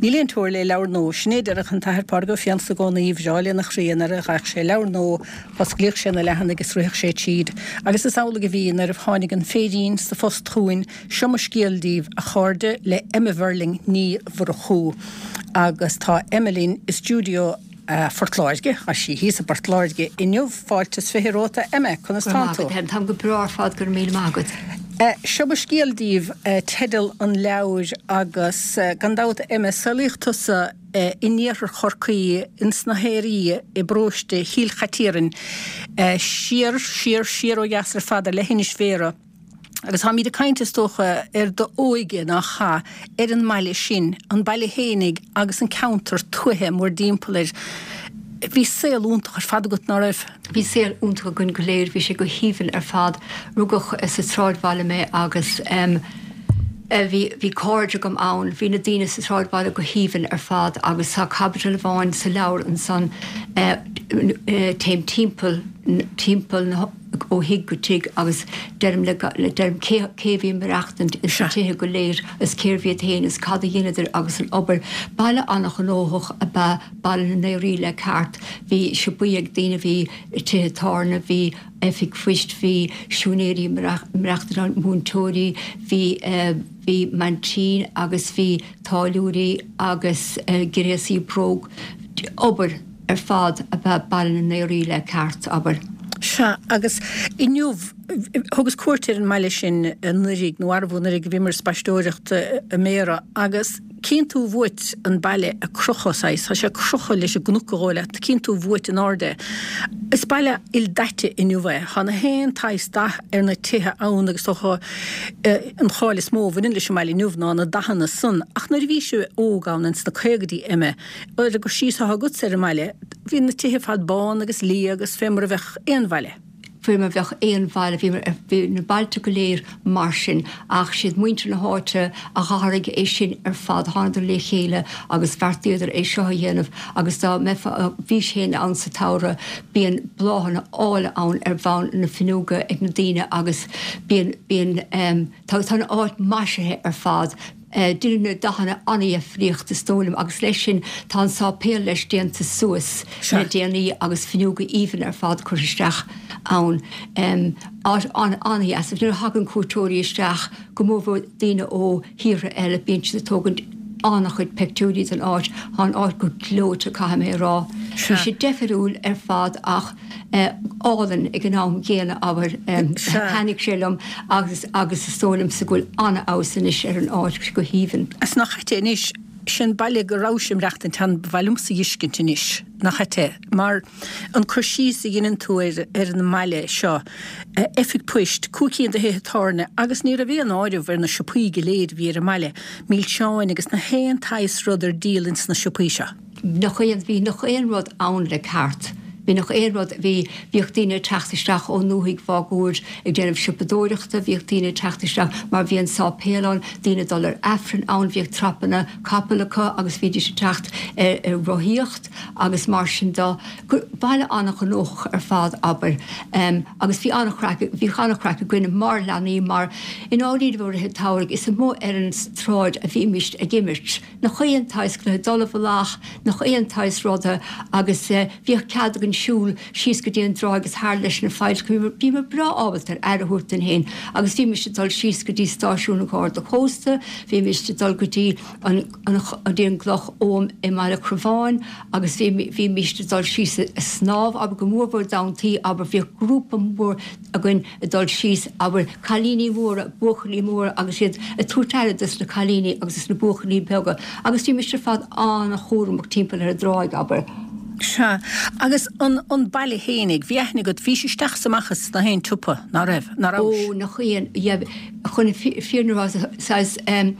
Níl aon teora le leabhar nua. Sin é a deireadh an tAthair Pádraig Ó Fiannachta i gcónaí, ba bhreá lena chroí nuair a fhaigheadh sé leabhar nua, Dh'osclaíodh sé na leathanaigh is ritheadh sé tríd. Agus is amhlaidh a bhí nuair a tháinig an féirín sa phost chugainn, Seo mo scéal díbh, a chairde, le Emma Verling Ní Mhurchú. Agus tá Emma linn i stiúideo Phort Láirge, tá sí thíos i bPort Láirge inniu. Fáilte is fiche romhat, a Emma, conas
Go raibh
tánn
maith
tú?
agat, a Helen. Táim go breá ar fad, go raibh míle maith agat.
Seo mo scéal díbh teideal an leabhair agus gan dabht, a Emma, saolaíodh tusa, in iarthar Chorcaí, ins na hAoraí i bparóiste Chill Chaitiairn, siar, siar, siar ó dheas ar fad ar leithinis Bhéarra. Agus táimíd ag caint, is dócha, ar d'óige, nach ea, ar an mbaile sin, an baile fhéinig agus an ceantar tuaithe mórdtimpeall air. Bhí saol iontach ar fad agat, ná raibh?
Bhí saol iontach againn go léir, bhí sé go haoibhinn ar fad. Rugadh sa tsráidbhaile mé agus bhí bhí cairde agam ann, bhí na daoine sa tsráidbhaile go haoibhinn ar fad agus tá caibidil amháin sa leabhar ansan téim timpeall timpeall na ó thigh go tigh agus deirim le deirim cé cé a bhí ag maireachtaint ins na tithe go léir is cérbh iad féin is cad a dheineadar agus an obair. Baile an-ghnóthach ab ea Baile na nAoraí le ceart. Bhí siopaí ag daoine, bhí tithe tábhairne, bhí oifig phoist, bhí siúinéirí ag maireachtaint ann, múinteoirí, bhí bhí maintín agus bhí táilliúirí agus gréasaí bróg. Obair ar fad ab ea Baile na nAoraí le ceart, abair.
Sea, agus inniu, thugas cuairt ar an mbaile sin anuraidh, nó arbh anuraidh a bhíomar ag spaisteoireacht i mBéarra, agus cíonn tú uait an baile ag crochadh, saghas, tá sé ag crochadh leis an gcnoc a dhóigh leat, cíonn tú uait in airde é. Is baile ildaite inniu é. Tá na haon tsaghas dath ar na tithe ann agus is dócha an cháil is mó a bhaineann leis an mbaile inniu ná na dathanna san. Ach nuair a bhís óg ann ins na caogaidí, Emma, ar an gcur síos atá agatsa ar an mbaile, bhí na tithe ar fad bán agus liath agus fé mar a bheadh aon bhaile.
Faoi mar bheadh aon bhaile, bhí, bhí na bailte go léir mar sin, ach siad muintir na háite a d'athraigh é sin ar fad, thánadar le chéile agus bheartaíodar é seo a dhéanamh agus dá mbeifeá, bhís féin ann sa tsamhradh, bíonn bláthanna áille ann ar bhonn na fuinneoga ag na daoine agus bíonn, bíonn, tá, tá an áit maisithe ar fad. Deineadh na dathanna an-dheifríocht is dóigh liom agus leis sin tá an sáipéal leis déanta suas le déanaí agus fuinneoga aoibhinn ar fad curtha isteach ann. Áit an-dheas agus nuair a thagann cuairteoirí isteach, go mórmhór daoine ó thíortha eile, bíonn siad ag tógaint an-chuid peictiúirí den áit. Tá an áit go gleoite caithfidh mé a rá. Bhí sé deifiriúil ar fad ach álainn ag an am gcéanna, abair. Thaitnigh sé liom agus agus is dóigh liomsa go bhfuil an-fheabhas anois ar an áit, go haoibhinn.
Is nach ait é anois, sin baile go rabhais ag maireachtaint ann, ba mhaith liomsa a dh'fheiscint anois, nach ait é, mar an cur síos a dheineann tú ar ar an mbaile seo, oifig poist, cúig cinn de thithe tábhairne agus ní raibh aon áireamh ar na siopaí go léir a bhí ar an mbaile, milseáin agus na haon tsaghas rud ar díol ins na siopaí seo.
Nach aon, bhí nach aon rud ann le ceart. Bhí nach aon rud, bhí, bhíodh daoine ag teacht isteach ón ndúthaigh mháguaird ag déanamh siopadóireachta, bhíodh daoine ag teacht isteach mar bhí an sáipéal ann, daoine ag dul ar Aifreann ann, bhíodh trapanna capall acu agus bhídís ag teacht ar, ar rothaíocht agus mar sin de. Baile an-ghnóthach ar fad, abair. Agus bhí an-chraic, bhíodh an-chraic againn mar leanaí mar i ndáiríre i rith an tsamhraidh is amuigh ar an tsráid a bhímist ag imirt. Nach aon tsaghas cluiche dul i bhfolach, nach aon tsaghas ruda agus bhíodh cead againn siúl síos go dtí an dtráigh agus thar leis na failltreacha, bhíomar breá ábalta ar aire a thabhairt dúinn féin agus bhímis ag dul síos go dtí stáisiún an Gharda Cósta, bhímis ag dul go dtí an go dtí an gCloch Oghaim i mBaile Crobháin agus bhímis ag dul síos ag snámh, abair go mórmhór d'amhantaí, abair bhíodh grúpa mór againn ag dul síos, abair, cailíní móra, buachaillí móra agus iad ag tabhairt aire dos na cailíní agus dos na buachaillí beaga agus bhímis ar fad an-chúramach timpeall ar an dtráigh, abair.
Sea, agus an, an baile fhéinig, bhí aithne agat, bhís isteach is amach as na haon tsiopa, ná raibh, ná rabhais?
Ó, nach aon, yeah, chun an fhírinne a rá, saghas, em,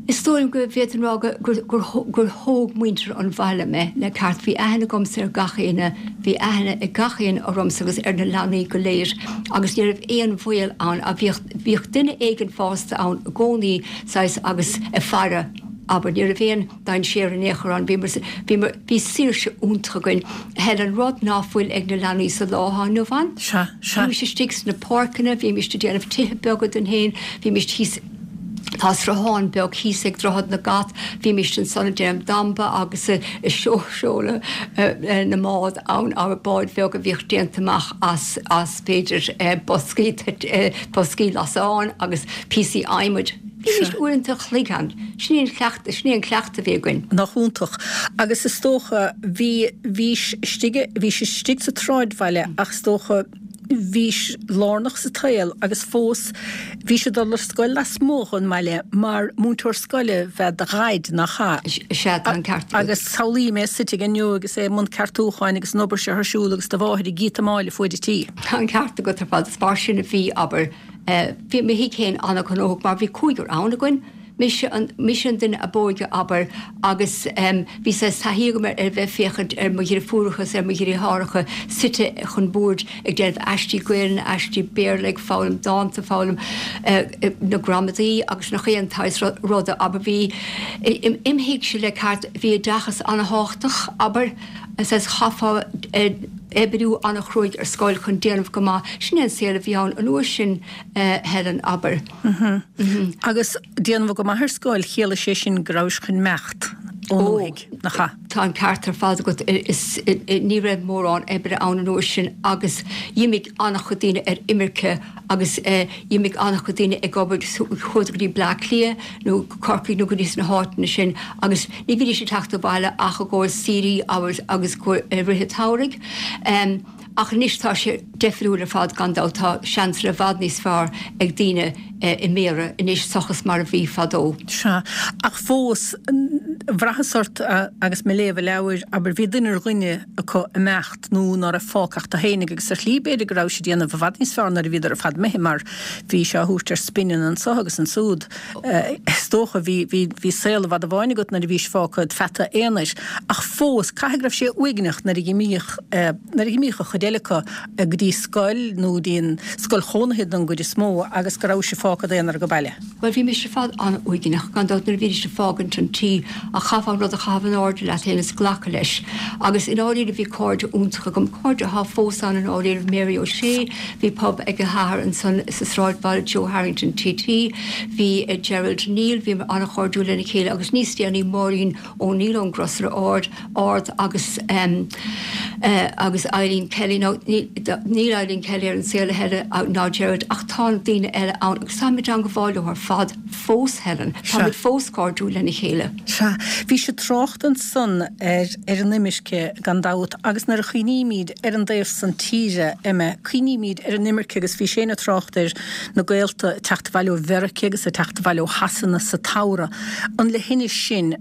Is dóigh liom go bhféadfainn rá gur gur thóg muintir an bhaile mé le ceart. Bhí aithne agamsa ar gach éinne, bhí aithne ag gach éinne ormsa agus ar na leanaí go léir agus ní raibh aon bhaol ann. Bhíodh bhíodh duine éigin fásta ann i gcónaí saghas agus ag faire, abair. Ní raibh aon dainséar in aon chor ann. Bhíomar bhíomar bhí saoirse iontach againn. Helen, rud ná fuil ag na leanaí sa lá atá inniu ann.
Sea, sea.
Bhímis istigh sna páirceanna, bhímis ag déanamh tithe beaga dúinn féin, bhímis thíos, Tá sruthán beag thíos ag Droichead na gCat. Bhímist ansan ag déanamh damba agus ag seoladh na mbád ann, abair báid bheaga a bhíodh déanta amach as, as b'fhéidir boscaí, boscaí lasán agus píosaí adhmaid. Bhímist uaireanta an chloig ann. Sin é an cleachtadh, sin é an cleachtadh a bhí againn.
Nach iontach. Agus is dócha, bhí, bhís istigh, bhís istigh sa tsráidbhaile ach is dócha, bhís lárnach sa tsaol agus fós bhís ag dul ar scoil lasmuigh den mbaile mar múinteoir scoile ab ea do dhaid, nach ea?
Sea, tá an ceart agat.
Agus samhlaím é suite aige inniu agus é i mbun ceartúcháin agus an obair seo ar siúl agus do mháthair ag íotamáil ar fuaid an tí.
Tá an ceart agat ar fad. Is mar sin a bhí, abair. Bhí mo thigh féin an-ghnóthach mar bhí cúigear ann againn. Mise an, mise an duine ab óige, abair, agus bhí saghas taithí agam ar bheith ag féachaint ar mo dhriofúracha is ar mo dhriotháracha suite chun boird ag déanamh aistí Gaelainne, aistí Béarla, ag foghlaim dánta, foghlaim na gramadaí agus nach aon tsaghas ruda, abair. Bhí, im thigse le ceart, bhí oideachas an-thábhachtach, abair, saghas chaithfeá oibriú an-chruaidh ar scoil chun déanamh go maith. Sin é an saol a bhí ann an uair sin, Helen, abair.
Agus déanamh go maith ar scoil, chiallaigh sé sin go rabhais chun imeacht ón ndúthaigh, nach ea?
Tá an ceart ar fad agat. Is ní raibh mórán oibre ann an uair sin agus dh'imigh an-chuid daoine ar imirce agus dh'imigh an-chuid daoine ag obair, chuadar go dtí Bleá Cliath nó go Corcaigh nó go dtí sna háiteanna sin agus ní bhídís ag teacht abhaile ach i gcomhair saoirí agus i rith an tsamhraidh. Ach anois tá sé deifriúil ar fad gan dabht, tá seansanna i bhfad níos fearr ag daoine i mBéarra anois seachas mar a bhí fadó.
Sea, ach fós, bhraitheas ort agus mé ag léamh an leabhair, abair, bhí duine ar dhuine acu imeacht nó ná raibh fágtha ach tú fhéinig agus ar shlí b'fhéidir go rabhais ag déanamh i bhfad níos fearr nuair a bhíodar ar fad imithe mar bhí sé á thabhairt ar spineanna anso agus ansúd, is is dócha, bhí, bhí, bhí saol i bhfad i bhfáinne agat nuair a bhís fágtha id pheata aonair, ach fós, caithfidh go raibh sé uaigneach nuair a dh'imíodh, nuair a dh'imíodh an chuid eile acu go dtí scoil nó go dtí an scoil chónaithe don gcuid is mó agus go rabhais fágtha i d'aonar ag baile.
Bhuel, bhí mise ar fad an-uaigneach, gan dabht, nuair a bhídís ag fágaint an tí, ach chaithfeá an rud a chaitheamh in airde leat féin is glacadh leis. Agus i ndáiríre bhí cairde iontacha agam, cairde atá fós ann i ndáiríre, Mary O'Shea, bhí pub ag a hathair ansan sa sráidbhaile, Joe Harrington T T, bhí Gerald Neal, bhíomar an-chairdiúil lena chéile agus níos déanaí Máirín O'Neill ón gCrosaire Ard, Ard agus agus Eileen Kelly. Now níl Eileen Kelly ar an saol a thuilleadh ná Gerald ach tá na daoine eile ann agus táim i dteangmháil leo ar fad fós, Helen. Táimid fós cairdiúil lena chéile.
Sea, bhís ag trácht ansan ar ar an imirce gan dabht agus nuair a chuimhnímid ar an dtaobh san tíre, Emma, cuimhnímid ar an imirce agus bhís féin ag trácht ar na gaolta ag teacht abhaile ó Mheiriceá agus ag teacht abhaile ó Shasana sa tsamhradh. An le hinnis sin,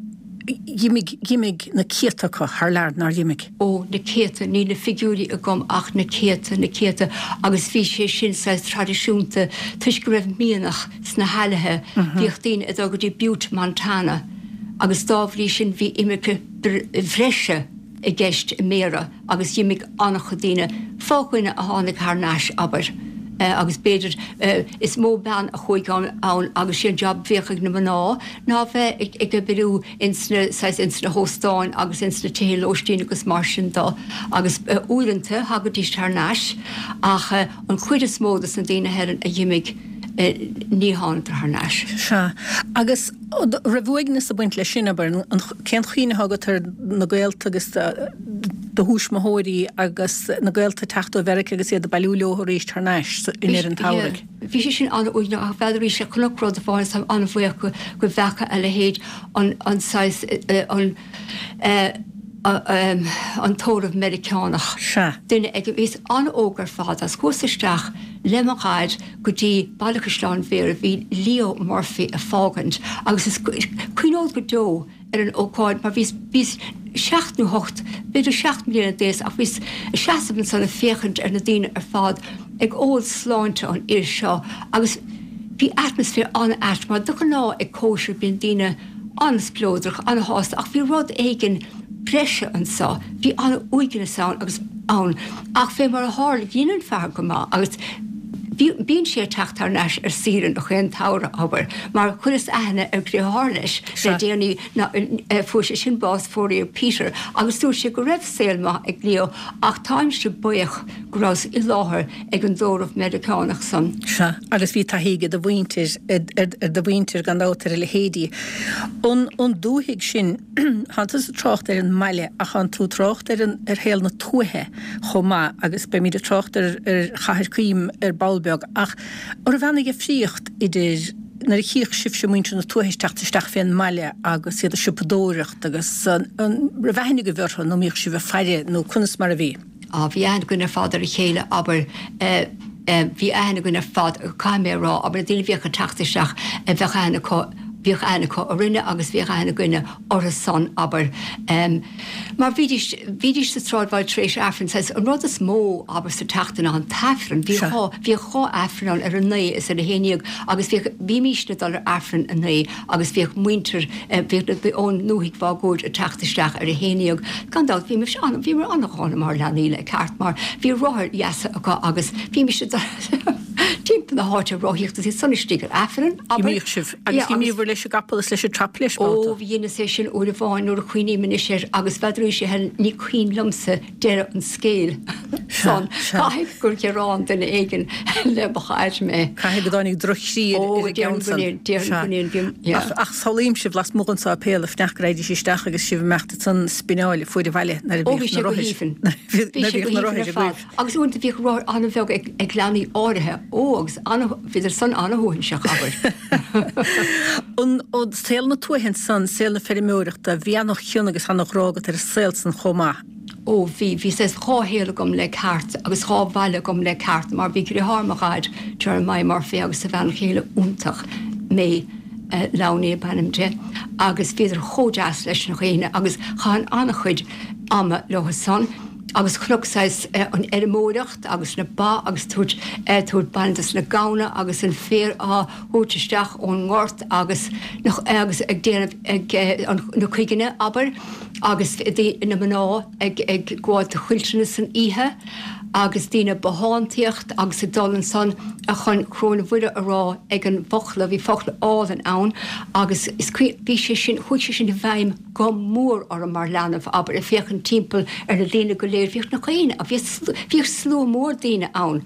dh'imigh, dh'imigh na céadta acu thar lear, nár dh'imigh?
Ó, na céadta, níl na figiúirí agam ach na céadta, na céadta agus bhí sé sin saghas traidisiúnta toisc go raibh mianach sna haillte, bhíodh daoine ag dul go dtí Butte, Montana agus dá bhrí sin bhí imirce bhreise i gceist i mBéarra agus dh'imigh an-chuid daoine, fá dhuine a tháinig thar n-ais, abair, agus b'fhéidir is mó bean a chuaigh ann agus sé an jab a bhíodh ag na mná ná bheith ag oibriú ins na, saghas, ins na hóstáin agus ins na tithe lóistín agus mar sin do agus uaireanta thagaidís thar n-ais ach an chuid is mó dos na daoine, Helen, a dh'imigh ní thánadar thar n-ais.
Sea. Agus raibh uaigneas ag baint leis sin, abair, cén chuimhne atá agat ar na gaolta agus do thuismitheoirí agus na gaolta ag teacht ó Mheiriceá agus iad ag bailiú leo arís thar n-ais i ndeireadh an tsamhraidh?
Bhí sé sin an-uaigneach ach n'fheadar arís chonac rud amháin is táim an-bhuíoch go go bhfeaca a leithéid an an saghas an an tórramh Meiriceánach.
Sea.
Duine ag bhíos an-óg ar fad agus chuas isteach le mo dhaid go dtí Baile Chaisleáin Bhéarra bhí Leo Murphy ag fágaint agus is cuimhneod go deo ar an ócáid mar bhíos bhíos seacht nó hocht b'fhéidir seacht mbliana d'aois ach bhíos ag seasamh ansan ag féachaint ar na daoine ar fad ag ól sláinte an fhir seo agus bhí atmaisféar an-ait mar de ghnáth ag cóisir bíonn daoine an-spleodrach an-shásta ach bhí rud éigin breise anso bhí an-uaigneas ann agus ann ach fé mar a tharla dhein an fear go maith agus bhí bíonn sé ag teacht thar n-ais ar saoire gach aon tsamhradh abair mar chuireas aithne ar dheartháir leis le déanaí ná fuair sé sin bás fóraíodh Peter agus dúirt sé go raibh saol maith ag Leo ach táimse buíoch go rabhas i láthair ag an dtórramh Meiriceánach san.
Sea, agus bhí taithí ag do mhuintir, ar do mhuintir gan dabht ar a leithéidí. An an dúthaigh sin, thánn tusa ag trácht ar an mbaile ach thánn tú ag trácht ar an ar shaol na tuaithe chomh maith agus beimid ag trácht ar ar Chathair Coim ar ball beag ach an raibh aon dhifríocht idir nuair a chíodh sibhse muintir na tuaithe ag teacht isteach fén mbaile agus iad ag siopadóireacht agus an raibh aithne agaibh orthu nó an mbíodh sibh ag faire nó conas mar a bhí?
Á, bhí aithne againn ar fad ar a chéile, abair, bhí aithne againn ar fad, caithfidh mé a rá, abair, na daoine a bhíodh ag teacht isteach, bheadh aithne acu, bhíodh aithne acu orainne agus bhíodh aithne againne orthu san, abair. Mar bhídís, bhídís sa tsráidbhaile tar éis Aifrinn, saghas, an rud is mó, abair, sa tseachtain ná an tAifreann, bhí dhá, bhíodh dhá Aifreann ann, ar a naoi is ar a haon dhéag agus bhíodh, bhímísne ag dul ar Aifreann a naoi agus bhíodh muintir, bhíodh na, ón ndúthaigh mháguaird ag teacht isteach ar a haon dhéag. Gan dabht, bhímis an, bhíomar an-dhána mar leanaí le ceart mar bhí rothair dheasa acu agus bhímis ag dul timpeall na háite ag rothaíocht is iad san istigh ar Aifreann, abair.
D'imíodh sibh agus d'imíobhair leis an gcapall is leis an traiphléis
Ó, babhta. dheineas é sin uair amháin nuair a chuimhním anois air agus n'fheadar a Helen, ní cuimhin liomsa deireadh an scéil
Sea,
san.
sea.
Caithfidh gur ghearán duine éigin le mo dhaid mé.
Caithfidh go dtáinig droch-chroí ar
Ó,
an
déarfainn
gceann
go
san.
ndéan, déarfainn
Sea.
go ndéan, bhí, yeah.
Ach, ach samhlaím sibh lasmuigh den sáipéal ag fanacht go raghaidís isteach agus sibh ag imeacht ansan spineáil fuaid abhaile nuair a
Ó, bhí
bhíodh
sé
na
go
rothair
haoibhinn.
nuair
Bhí
a
sé go
bhíodh na
haoibhinn
rothair
ar fad.
agaibh.
Agus uaireanta bhíodh rothar an-bheag ag, ag leanaí áirithe. Ó, agus ana, bhíodar san ana-shuaithinseach, abair.
An, an saol na tuaithe ansan, saol na feirmeoireachta, bhí ana-chion agus ana-ghrá agat ar an saol san chomh maith.
Ó, bhí, bhí saghas dhá shaol agam le ceart agus dhá bhaile agam le ceart mar bhí deartháir mo dhaid, Jeremiah Murphy, agus a bhean chéile iontach, May Lowney ab ainm di, agus bhíodar chomh deas leis na dhaoine agus chaithinn an-chuid ama leo san. Agus chonac saghas an fheirmeoireacht agus na ba agus tabhairt tabhairt bainne dos na gamhna agus an féar á thabhairt isteach ón ngort agus agus ag déanamh ag na cuiginne abair agus na mná ag ag gabháil do chuilteanna san oíche agus daoine ag bothántaíocht agus ag dul ansan chun Coróin Mhuire a rá ag an bhfochla, bhí fochla álainn ann agus is bhí sé sin, chuaigh sé sin i bhfeidhm go mór orm mar leanbh, abair, ag féachaint timpeall ar na daoine go léir, bhíodh na daoine, bhíodh slua mór daoine ann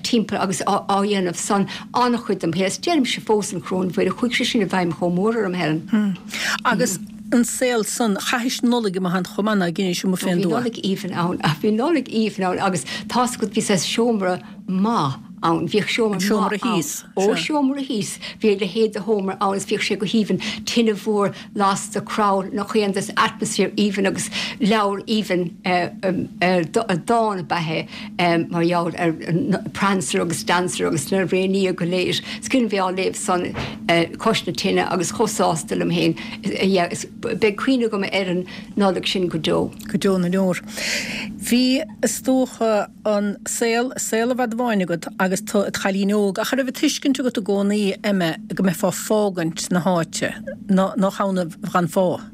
timpeall agus á dhéanamh san an-chuid dem shaol, is deirimse fós an Choróin Mhuire, chuaigh sé sin i bhfeidhm chomh mór orm, Helen.
Agus an saol san, chaithis Nollaig amuigh ann chomh maith, ná dheinis amuigh fén
Bhí
dtuath?
Nollaig aoibhinn ann, bhí Nollaig aoibhinn ann agus tá's agat bhí saghas seomra maith ann, bhíodh seomra
An seomra
maith ann.
thíos,
Ó,
sea.
seomra thíos, bhí a leithéid de sheomra ann is bhíodh sé go haoibhinn, tine mhór lasta, crann, nach aon des atmaisféar aoibhinn agus leabhar aoibhinn, dán ab ea é mar gheall ar Prancer agus Dancer agus na Réinfhia go léir. Is cuimhin bheith á léamh san cois na tine agus chomh sásta liom féin. Yeah, is beidh cuimhne agam ar an Nollaig sin go deo.
Go deo na ndeor. Bhí, is dócha, an saol, saol i bhfad amháin agat agus tú id chailín óg, ach an raibh an tuiscint agat i gcónaí, Emma, go mbeifeá ag fágaint na háite, nach ann gan fáth?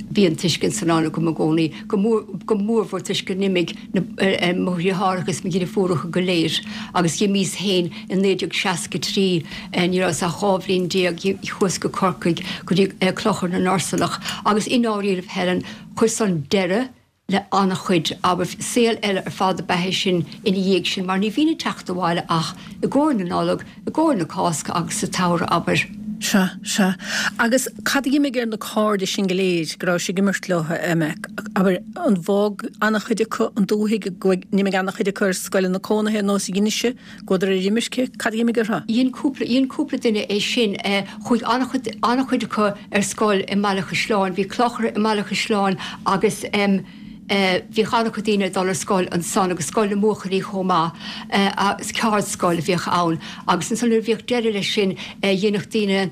Bhí an tuiscint san ann agam i gcónaí, go mór, go mórmhór toisc gur imigh na, mo dheartháireacha is mo dheirfiúracha go léir agus dh'imíos féin i naoi déag seasca trí, ní rabhas ach dhá bhliain déag, chuas go Corcaigh go dtí Clochar na nUrsulach agus i ndáiríribh Helen, chuir san deireadh le an-chuid, abair, saol eile ar fad ab ea é sin ina dhiaidh sin mar ní bhínn ag teacht abhaile ach i gcomhair na Nollag, i gcomhair na Cásca agus sa tsamhradh, abair.
Sea, sea. Agus cad a dh'imigh ar na cairde sin go léir go rabhais ag imirt leo, Emma? Abair, an bhfág an-chuid acu an dúthaigh, go n-imigh an-chuid acu ar scoileanna cónaithe nós a dheinis-se, gcuadar ar imirce, cad a dh'imigh orthu?
Dhein cúpla, dhein cúpla duine é sin. Chuaigh an-chuid, an-chuid acu ar scoil i mBaile Chaisleáin. Bhí clochar i mBaile Chaisleáin agus em, Bhíodh an-chuid daoine ag dul ar scoil ansan agus scoil na mbuachaillí chomh maith agus ceardscoil a bhíodh ann agus ansan nuair a bhíodh deireadh leis sin dhéanadh daoine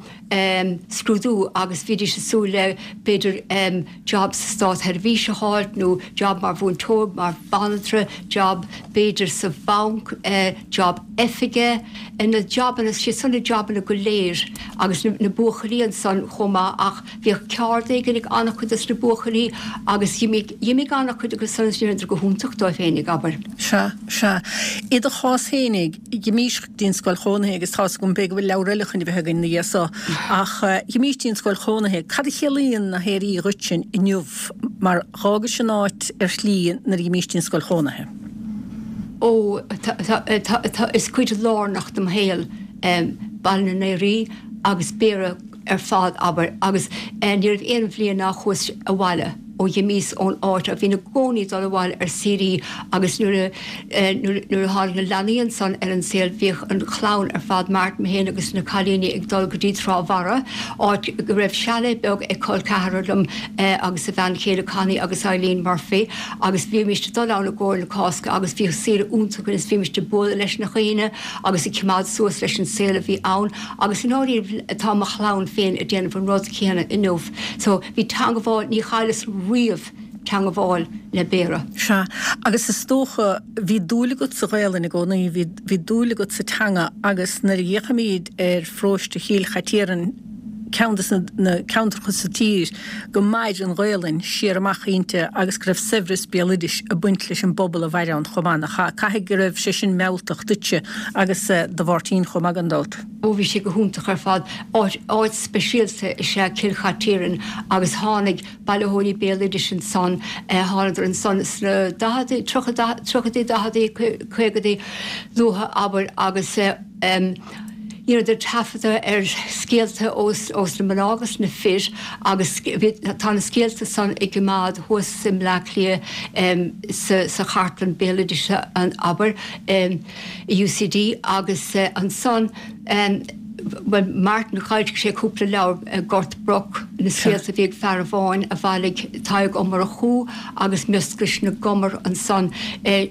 scrúdú agus bhídís ag súil le b'fhéidir job sa státsheirbhís a fháilt nó job mar mhúinteoir, mar bhanaltra, job b'fhéidir sa bhanc, job oifige, na jobanna, siad san na jobanna go léir agus na buachaillí ansan chomh maith ach Bhíodh ceard éigin ag an-chuid dos na buachaillí agus dh'imigh an-chuid acu san is dheineadar go hiontach dóibh féinig, abair.
Sea, sea. I do chás féinig, dh'imís go dtí an scoil chónaithe agus tá's agam b'fhéidir go bhfuil leabhar eile chun a bheith againn ina dhiaidh so, ach dh'imís dtí an scoil chónaithe. Cad a chiallaíonn na hAoraí dhuitse inniu mar dh'fhágais an áit ar shlí nuair a dh'imís dtí an scoil chónaithe?
Ó, tá, tá, tá, tá, is cuid lárnach dem shaol Baile na nAoraí agus Béarra ar fad, abair, agus ní raibh aon bhliain nár chuas abhaile ó dh'imíos ón áit, bhínn i gcónaí ag dul abhaile ar saoirí agus nuair a, nuair a tháinig na leanaí ansan ar an saol bhíodh an chlann ar fad, Martin, mé féin agus na cailíní ag dul go dtí Trá Bharra, áit go raibh chalet beag ag col ceathrar liom agus a bhean chéile Connie agus Eileen Murphy agus bhímist ag dul ann i gcomhair na Cásca agus bhíodh saoire iontach againn is bhímist ag bualadh leis na dhaoine agus ag cimeád suas leis an saol a bhí ann. Agus i ndáiríre tá mo chlann féin ag déanamh an rud céanna inniu. So bhí teangabháil, ní chailleas riamh teangabháil le Béarra.
Sea, agus is dócha, bhí dúil agat sa Ghaelainn i gcónaí, bhí, bhí dúil agat sa teanga agus nuair a fhéachaimid ar pharóiste Chill Chaitiairn, ceann de na ceantracha sa tír go mair an Ghaelainn siar amach inti agus go raibh saibhreas béaloidis ag baint leis an bpobal a mhair ann chomh maith, nach ea? Caithfidh go raibh sé sin mealltach duitse agus do Mháirtín chomh maith gan dabht.
Ó bhí sé go hiontach ar fad. Áit, áit speisialta is ea Cill Chaitiairn agus tháinig bailitheoirí béaloidis ansan, thánadar ansan sna daicheadaí, tríochaidí, daicheadaí, caogaidí luatha abair agus dheineadar taifeadadh ar scéalta ós, ós na mná agus na fir agus bhí, tá na scéalta san i gcoimeád thuas i mBleá Cliath sa, sa chartlann béaloidis abair i UCD agus ansan, Bhuel, Martin, d'fhoilsigh sé cúpla leabhar, Gort Broc, na scéalta a bhí ag fear amháin a bhailigh Tadhg Ó Murchú agus Mioscais na gCumar ansan,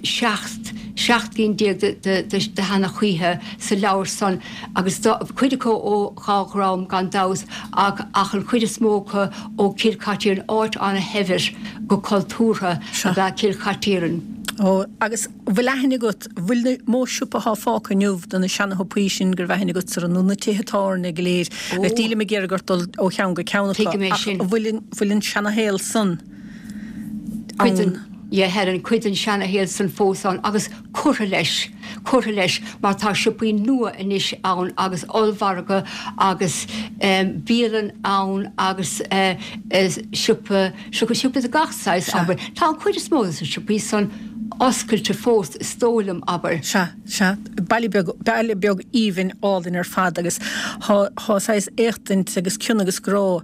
seacht seacht gcinn déag de de sheanchaithe sa leabhar san agus cuid acu ó dhá dhream gan dabht ach ach an chuid is mó acu ó Chill Chaitiairn, áit ana-shaibhir go cultúrtha ab ea Cill Chaitiairn.
Ó, agus bhfuil aithne agat, bhfuil na mó siopa atá fágtha inniu de na seana-shiopaí sin go raibh aithne agatsa nó na tithe tábhairne go léir? Nílim ag iarraidh ort dul ó cheann go ceann acu ach bhfuil bhfuil an seana-shaol san
ann? Yeah, Helen, cuid den seana-shaol san fós ann agus curtha leis, curtha leis mar tá siopaí nua anois ann agus ollmhargadh agus bialann ann agus siopa, siopa, siopa de gach saghas, abair. Tá an chuid is mó de na siopaí san oscailte fós, is dóigh liom, abair.
Sea, sea. Baile beag, baile beag aoibhinn álainn ar fad agus thá, thá saghas éachtaint agus cion agus grá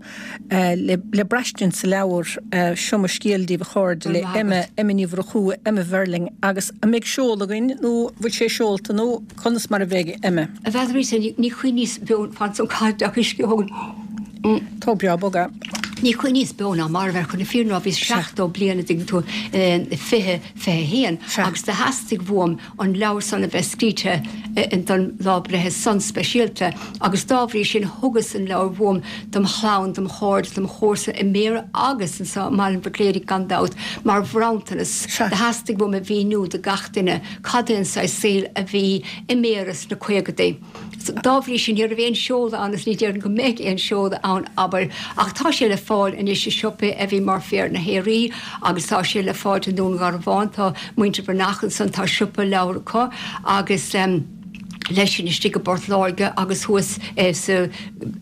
le, le braistint sa leabhar Seo Mo Scéal Daoibh a Chairde le Emma, Emma Ní Mhurchú, Emma Verling agus an mbeidh seoladh againn nó bhfuil sé seolta nó conas mar a bheidh, Emma?
A Bheatrice, ní chuimhníos beo, fan ansan caithfidh deoch uisce a thógaint.
Tá breá bog é.
Ní chuimhníos beo ná marbh air chun na fírinne a rá, bhíos seachtó bliain a dtuigeann tú, fiche, fiche a haon agus do theastaigh uaim an leabhar san a bheith scríte don lá breithe san speisialta agus dá bhrí sin thugas an leabhar uaim dom chlann, dom chairde, dom chomharsa i mBéarra agus anso i mBaile an Bhuitléaraigh gan dabht mar bhronntanas. Do theastaigh uaim a mhíniú do gach duine cad é an saghas saoil a bhí i mBéarra sna caogadaí. Dá bhrí sin, ní raibh aon seoladh ann agus ní déarfainn go mbeidh aon seoladh ann, abair, ach tá sé le fáil anois i siopaí a bhí mar Féar na hEarraí agus tá sé le fáil i nDún Garbhán, tá muintir Breathnach ansan, tá siopa leabhar acu agus leis sin istigh i bPort Láirge agus thuas sa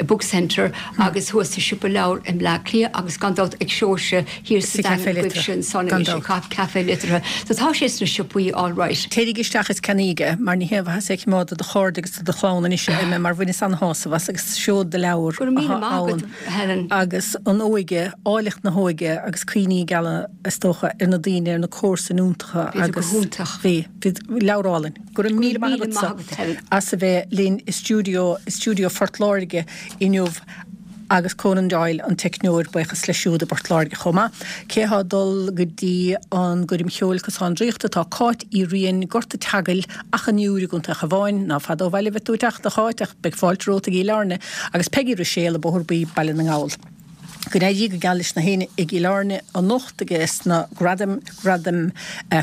Book Centre agus thuas sa siopa leabhar i mBleá Cliath agus gan dabht ag Seoirse thiar sa Daingean agaibhse ansan anois, ag Caife Liteartha. So tá sé sna siopaí alright.
Téirígí isteach is ceannaígí é, mar ní haon mhaitheas é a choimeád do do chairde agus do do chlann anois, a Emma, mar bhaineas an-shásamh as agus seod de leabhar
Go raibh míle
atá
maith agat,
ann
Helen.
agus an óige, áilleacht na hóige agus cuimhní geala, is dócha, ar na daoine, ar na comharsain iontacha
Bhíodar go
agus
hiontach.
bhí, bhí, leabhar álainn. Go raibh
Go
míle
raibh
maith
míle maith
agatsa
agat, Helen.
as a bheith linn i stiúideo, i stiúideo Phort Láirge inniu. Agus Conan Doyle, an teicneoir, buíochas leis siúd i bPort Láirge chomh maith. Cé atá ag dul go dtí an gcoirm cheoil Cosán Draíochta tá Cáit Uí Riain, Gort a' tSeagail, Achadh an Iúir i gContae an Chabháin, ná fada ó bhaile a bheidh tú ag teacht, a Cháit, ach beidh fáilte romhat i gCill Airne, agus Peigí Ruiséal i Bóthar Buí, Baile na nGall. Go n-éirí go geal leis na héinne i gCill Airne anocht ages na gradaim, Gradaim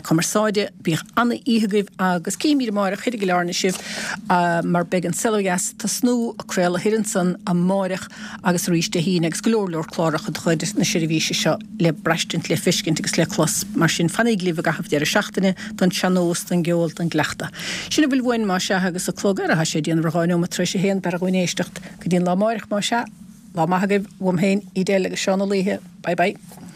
Cumarsáide. Bíodh ana-oíche agaibh agus cífimid amáireach thoir i gCill Airne sibh mar beidh An Saol Ó Dheas ag tosnú ag craoladh thoir ansan amáireach agus arís Dé hAoine agus go leor leor cláracha de chuid na seirbhíse seo le braistint, le feiscint agus le clos. Mar sin fanaíg libh i gcaitheamh deireadh seachtaine don sean-nós, don gceol, don gcleachtadh. Sin a bhfuil uainn más ea agus an clog ar, tá sé ag déanamh ar dhá neomat tar éis a haon, b'fhearra dhúinn éisteacht go dtí an lá amáireach más ea. Lá maith agaibh uaim féin, Edel agus Seán Ó Laoithe. Bye bye.